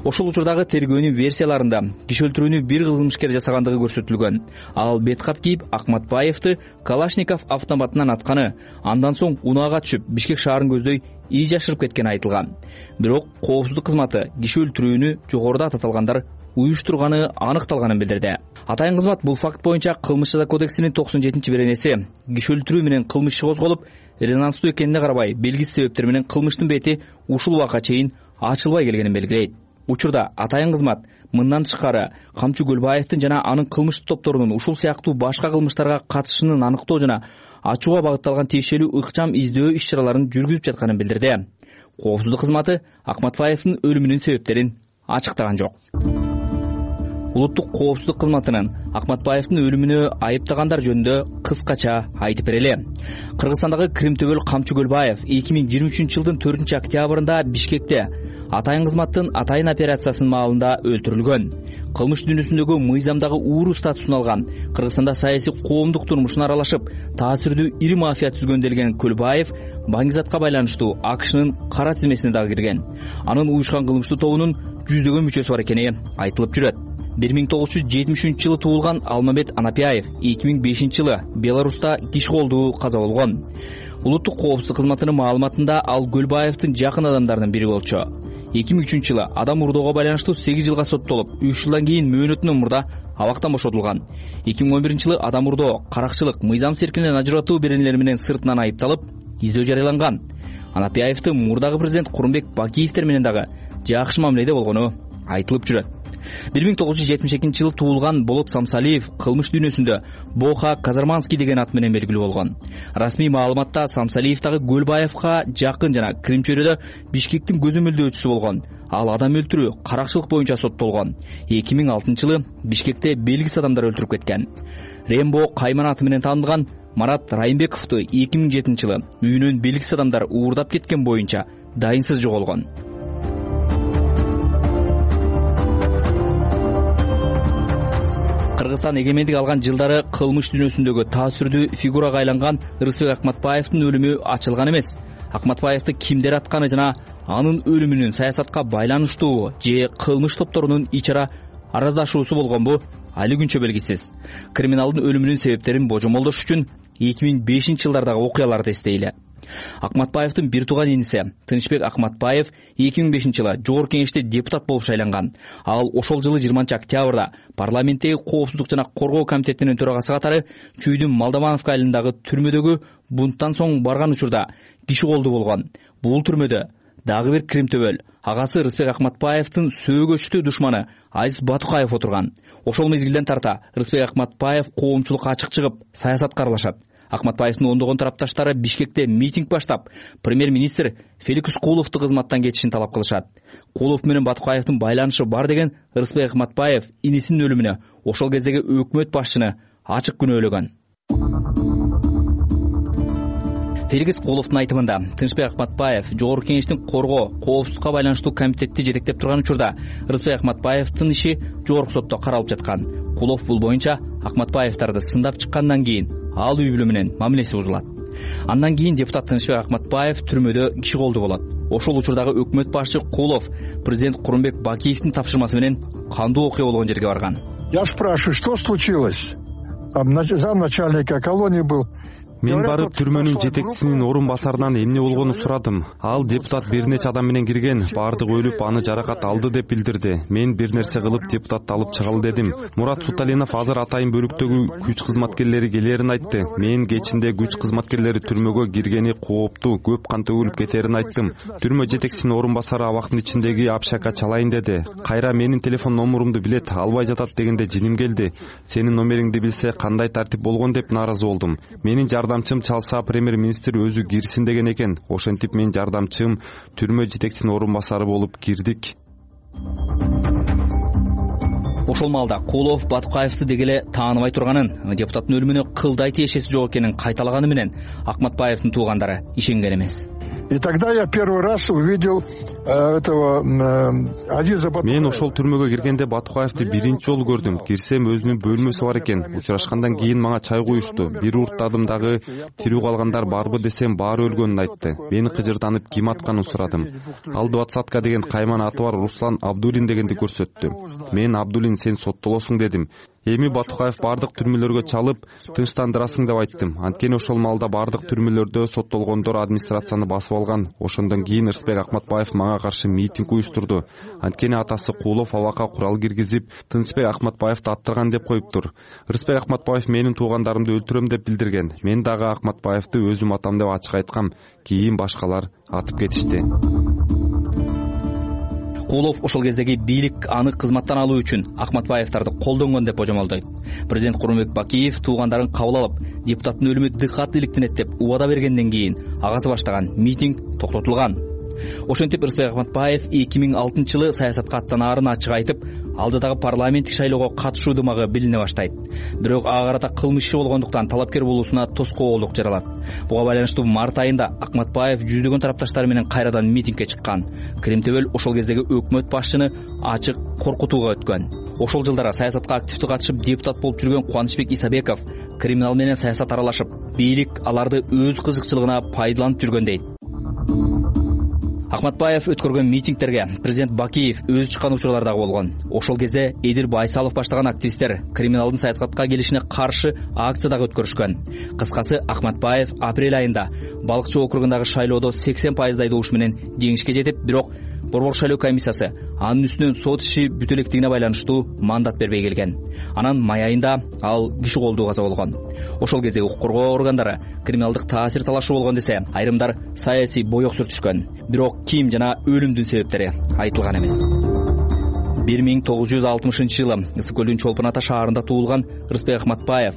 Ошол учурдагы тергөөнүн версияларында киши өлтүрүүнү бир кылмышкер жасагандыгы көрсөтүлгөн. Ал бет кап кийип Акматбаевди Калашников автоматынан атканы, андан соң унаага түшүп Бишкек шаарын көздөй ий жашырып кеткени айтылган. Бирок коопсуздук кызматы киши өлтүрүүнү жогоруда аталгандар уюштурганы аныкталганын билдирди. Атайын кызмат бул факт боюнча Кылмыш жаза кодексинин 97-беренеси киши өлтүрүү менен кылмыш иши козголуп, резонанстуу экенине карабай белгисиз себептер менен кылмыштын бети ушул убакка чейин ачылбай келгенин белгилейт. Учурда атайын кызмат мындан тышкары Камчы Көлбаевдин жана анын кылмыштык топторунун ушул сыяктуу башка кылмыштарга катышышынын аныктоо жана ачууга багытталган тиешелүү ыкчам издөө иш-чараларын жүргүзүп жатканын билдирди. Коопсуздук кызматы Акматбаевдин өлүмүнүн себептерин ачыктаган жок. Улуттук коопсуздук кызматынын Акматбаевдин өлүмүнө айыптагандар жөнүндө кыскача айтып берели. Кыргызстандагы Кримтөбөл Камчы Көлбаев 2023 жылдын 4 октябрында Бишкекте атайын кызматтын атайын операциясынын маалында өлтүрүлгөн. Кылмыш дүйнөсүндөгү мыйзамдагы ууру статусун алган, Кыргызстанда саясий коомдук турмушуна аралашып, таасирдүү ири мафия түзгөнделген Көлбаев Баңгизатка байланыштуу АКШнын кара тизмесине дагы кирген. Анын уюшкан кылмыштуу тобунун жүздөгөн мүчөсү бар экени айтылып жүрөт. 1973 жылы туулган Алмамет Анапияев 2005 жылы Беларуста киши колдуу каза болгон. Улуттук коопсуздук кызматынын маалыматында ал Көлбаевдин жакын адамдарынын бири болчу. 2003 жылы адам урдоого байланыштуу 8 жылга соттолуп, 3 жылдан кийин мөөнөтүнөн мурда абактан бошотулган. 2011 жылы адам урдоо, каракчылык, мыйзам серкинен ажыратуу беренелери менен сыртынан айыпталып, издөө жарыяланган. Анапияевди мурдагы президент Курманбек Бакиевдер менен дагы жакшы мамиледе болгону айтылып жүрөт. 1972 жылы туулган Болот Самсалиев кылмыш дүйнөсүндө Боха Казарманский деген ат менен белгилүү болгон. Расмий маалыматта Самсалиев дагы Көлбаевга жакын жана Кримчөйрөдө Бишкектин көзөмөлдөөчүсү болгон. Ал адам өлтүрүү, каракчылык боюнча соттолгон. 2006 жылы Бишкекте белгисиз адамдар өлтүрүп кеткен. Рембо Кайман аты менен таанылган Марат Райымбековду 2007 жылы үйүнөн белгисиз адамдар уурдап кеткен боюнча дайынсыз жоголгон. Кыргызстан эгемендик алган жылдары кылмыш дүйнөсүндөгү таасирдүү фигурага айланган Рыспек Акматбаевдин өлүмү ачылган эмес. Акматбаевди кимдер атканы жана анын өлүмүнүн саясатка байланыштуу же кылмыш топторунун ичара араздашуусу болгонбу али күнчө белгисиз. Криминалдын өлүмүнүн себептерин божомолдош үчүн 2005 жылдардагы окуяларды эстейли. Акматбаевдин бир тууган иниси Тынычбек Акматбаев 2005 жылы Жогорку Кеңеште депутат болуп шайланган. Ал ошол жылы 20 октябрда парламенттеги коопсуздук жана коргоо комитетинин төрагасы катары Чүйдүн Малдамановка айылындагы түрмөдөгү бунттан соң барган учурда киши колдуу болгон. Бул түрмөдө дагы бир Кримтөбөл агасы Рыспек Акматбаевдин сөөгөчтүү душманы Азиз Батукаев отурган. Ошол мезгилден тарта Рыспек Акматбаев коомчулукка ачык чыгып, саясатка аралашат. Акматбаевдин ондогон тарапташтары Бишкекте митинг баштап, премьер-министр Феликс Куловду кызматтан кетишин талап кылышат. Кулов менен Батукаевдин байланышы бар деген Рыспек Акматбаев инисинин өлүмүнө ошол кездеги өкмөт башчыны ачык күнөөлөгөн. Феликс Куловдун айтымында Тынычбек Акматбаев Жогорку Кеңештин коргоо, коопсуздукка байланыштуу комитетти жетектеп турган учурда Рыспек Акматбаевдин иши жогорку сотто каралып жаткан. Кулов бул боюнча Акматбаевдарды сындап чыккандан кийин ал үй бүлө менен мамилеси бузулат. Андан кийин депутат Тынычбек Акматбаев түрмөдө киши колдуу болот. Ошол учурдагы өкмөт башчы Кулов президент Курманбек Бакиевдин тапшырмасы менен кандуу окуя болгон жерге барган. Я спрашиваю, что случилось? Там замначальника колонии был. Мен барып түрмөнүн жетекчисинин орун басарынан эмне болгонун сурадым. Ал депутат бир нече адам менен кирген, баардыгы өлүп, аны жаракат алды деп билдирди. Мен бир нерсе кылып депутатты алып чыгалы дедим. Мурат Суталинов азыр атайын бөлүктөгү күч кызматкерлери келерин айтты. Мен кечинде күч кызматкерлери түрмөгө киргени кооптуу, көп кан төгүлүп кетерин айттым. Түрмө жетекчисинин орун басары абактын ичиндеги общакка чалайын деди. Кайра менин телефон номурумду билет, албай жатат дегенде жиним келди. Сенин номериңди билсе кандай тартип болгон деп нааразы болдум. Менин жардамчым чалса премьер-министр өзү кирсин деген экен. Ошентип мен жардамчым түрмө жетекчисинин орун басары болуп кирдик. Ошол маалда Кулов Батукаевди деги эле тааныбай турганын, депутаттын өлүмүнө кылдай тиешеси жок экенин кайталаганы менен Акматбаевдин туугандары ишенген эмес. И тогда я первый раз увидел этого Азиза Батукаева. Мен ошол түрмөгө киргенде Батукаевди биринчи жолу көрдүм. Кирсем өзүнүн бөлмөсү бар экен. Учурашкандан кийин мага чай куюшту. Бир урттадым дагы тирүү калгандар барбы десем баары өлгөнүн айтты. Мени кыжырданып ким атканын сурадым. Ал 20-ка деген кайман аты бар Руслан Абдулин дегенди көрсөттү. Мен Абдулин сен соттолосуң дедим. Эми Батукаев бардык түрмөлөргө чалып, тынчтандырасың деп айттым. Анткени ошол маалда бардык түрмөлөрдө соттолгондор администрацияны басып алган. Ошондон кийин Рысбек Акматбаев мага каршы митинг уюштурду. Анткени атасы Кулов абакка курал киргизип, Тынчбек Акматбаевди аттырган деп коюптур. Рысбек Акматбаев менин туугандарымды өлтүрөм деп билдирген. Мен дагы Акматбаевди өзүм атам деп ачык айткам. Кийин башкалар атып кетишти. Кулов ошол кездеги бийлик аны кызматтан алуу үчүн Акматбаевдарды колдонгон деп божомолдойт. Президент Курманбек Бакиев туугандарын кабыл алып, депутаттын өлүмү дыкат иликтенет деп убада бергенден кийин агасы баштаган митинг токтотулган. Ошентип Рысбек Акматбаев 2006-жылы саясатка аттанаарын ачык айтып, алдыдагы парламенттик шайлоого катышуу дымагы билине баштайт. Бирок ага карата кылмыш иши болгондуктан талапкер болуусуна тоскоолдук жаралат. Буга байланыштуу март айында Акматбаев жүздөгөн тарапташтары менен кайрадан митингге чыккан. Кремтөбөл ошол кездеги өкмөт башчыны ачык коркутууга өткөн. Ошол жылдары саясатка активдүү катышып депутат болуп жүргөн Кубанычбек Исабеков криминал менен саясат аралашып, бийлик аларды өз кызыкчылыгына пайдаланып жүргөн дейт. Акматбаев өткөргөн митингтерге президент Бакиев өзү чыккан учурлар дагы болгон. Ошол кезде Эдил Байсалов баштаган активисттер криминалдын саясатка келишине каршы акция дагы өткөрүшкөн. Кыскасы Акматбаев апрель айында Балыкчы округундагы шайлоодо 80% добуш менен жеңишке жетип, бирок Борбор шайлоо комиссиясы анын үстүнөн сот иши бүтө электигине байланыштуу мандат бербей келген. Анан май айында ал киши колдуу каза болгон. Ошол кезде укук коргоо органдары криминалдык таасир талашуу болгон десе, айрымдар саясий боек сүртүшкөн. Бирок ким жана өлүмдүн себептери айтылган эмес. 1960-жылы Ысык көлдүн Чолпон Ата шаарында туулган Рысбек Акматбаев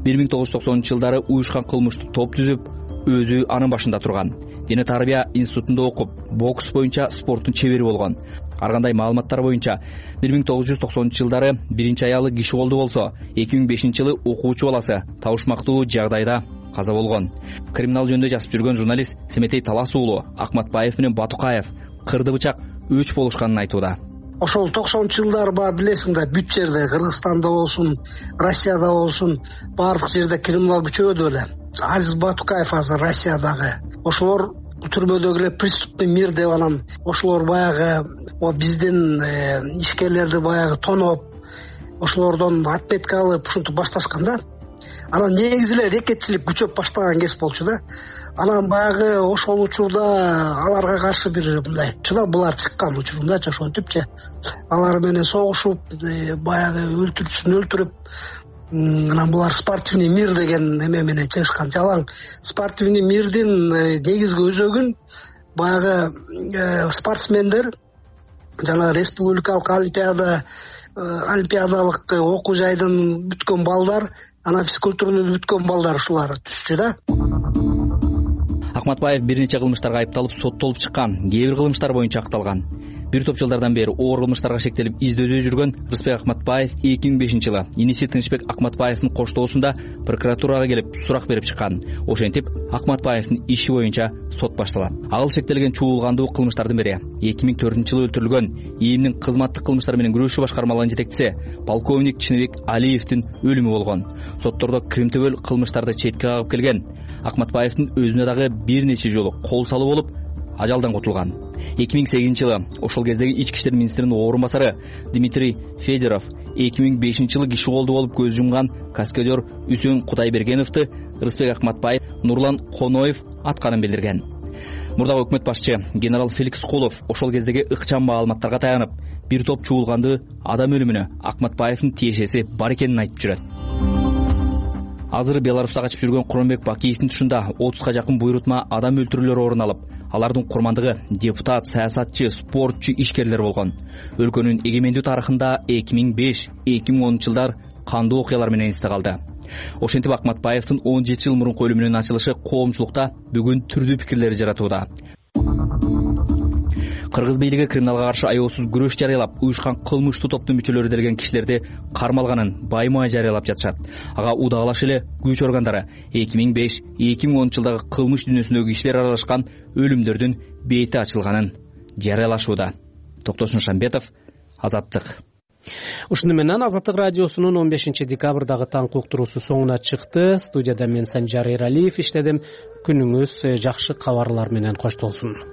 1990-жылдары уюшкан кылмыштуу топ түзүп, өзү анын башында турган. Дене тарбия институтунда окуп, бокс боюнча спорттун чебери болгон. Ар кандай маалыматтар боюнча 1990-жылдары биринчи аялы киши колдуу болсо, 2005-жылы окуучу баласы табышмактуу жагдайда каза болгон. Криминал жөнүндө жазып жүргөн журналист Семетей Талас уулу Акматбаев менен Батукаев кырды бычак өч болушканын айтууда. Ошол 90-жылдар бар билесиң да, бүт жерде, Кыргызстанда болсун, Россияда болсун, бардык жерде криминал күчөдү эле. Азиз Батукаев азыр Россиядагы. Ошолор түрмөдөгү эле преступный мир деп анан ошолор баягы биздин ишкерлерди баягы тоноп, ошолордон отметка алып ушинтип башташкан да. Анан негизи эле рекетчилик күчөп баштаган кез болчу да. Анан баягы ошол учурда аларга каршы бир мындай чыда булар чыккан учурундачы, ошентипчи алар менен согушуп, баягы өлтүрүп, анан булар спортивный мир деген эме менен чыгышкан. Жалаң спортивный мирдин негизги өзөгүн баягы спортсмендер жана республикалык олимпиадалык окуу жайдын бүткөн балдар, анан физкультураны бүткөн балдар ушулар түшчү да. Акматбаев бир нече кылмыштарга айыпталып соттолуп чыккан, кээ бир кылмыштар боюнча акталган. Бир топ жылдардан бери оор кылмыштарга шектелип издөөдө жүргөн Рысбек Акматбаев 2005-жылы иниси Тынчбек Акматбаевдин коштоосунда прокуратурага келип сурак берип чыккан. Ошентип Акматбаевдин иши боюнча сот башталат. Ал шектелген чуулгандуу кылмыштардын бири 2004-жылы өлтүрүлгөн ИИМдин кызматтык кылмыштар менен күрөшүү башкармалыгынын жетекчиси полковник Чыныбек Алиевдин өлүмү болгон. Соттордо Кремтөбөл кылмыштарды четке кагып келген. Акматбаевдин өзүнө дагы бир нече жолу кол салуу болуп, ажалдан кутулган. 2008-жылы ошол кездеги ички иштер министринин орун басары Дмитрий Федоров 2005-жылы киши колдуу болуп көз жумган каскадер Үсөн Кудайбергеновду Рысбек Акматбаев Нурлан Коноев атканын билдирген. Мурдагы өкмөт башчы генерал Феликс Кулов ошол кездеги ыкчам маалыматтарга таянып, бир топ чуулгандуу адам өлүмүнө Акматбаевдин тиешеси бар экенин айтып жүрөт. Азыр Беларуста качып жүргөн Курманбек Бакиевдин тушунда 30га жакын буйрутма адам өлтүрүүлөр орун алып, алардын курмандыгы депутат, саясатчы, спортчу, ишкерлер болгон. Өлкөнүн эгемендүү тарыхында 2005-2010 жылдар кандуу окуялар менен эсте калды. Ошентип Акматбаевдин 17 жыл мурунку өлүмүнүн ачылышы коомчулукта бүгүн түрдүү пикирлер жаратууда. Кыргыз бийлиги криминалга каршы аеосуз күрөш жарыялап, уюшкан кылмыштуу топтун мүчөлөрү делген кишилерди кармалганын баймай жарыялап жатышат. Ага удагылаш эле күч органдары 2005-2010 жылдагы кылмыш дүйнөсүндөгү кишилер аралашкан өлүмдөрдүн бети ачылганын жарыялашууда. Токтосун Шамбетов, Азаттык. Ушуну менен Азаттык радиосунун 15 декабрдагы таңкы уктуруусу соңуна чыкты. Студияда мен Санжар Эралиев иштедим. Күнүңүз жакшы кабарлар менен коштолсун.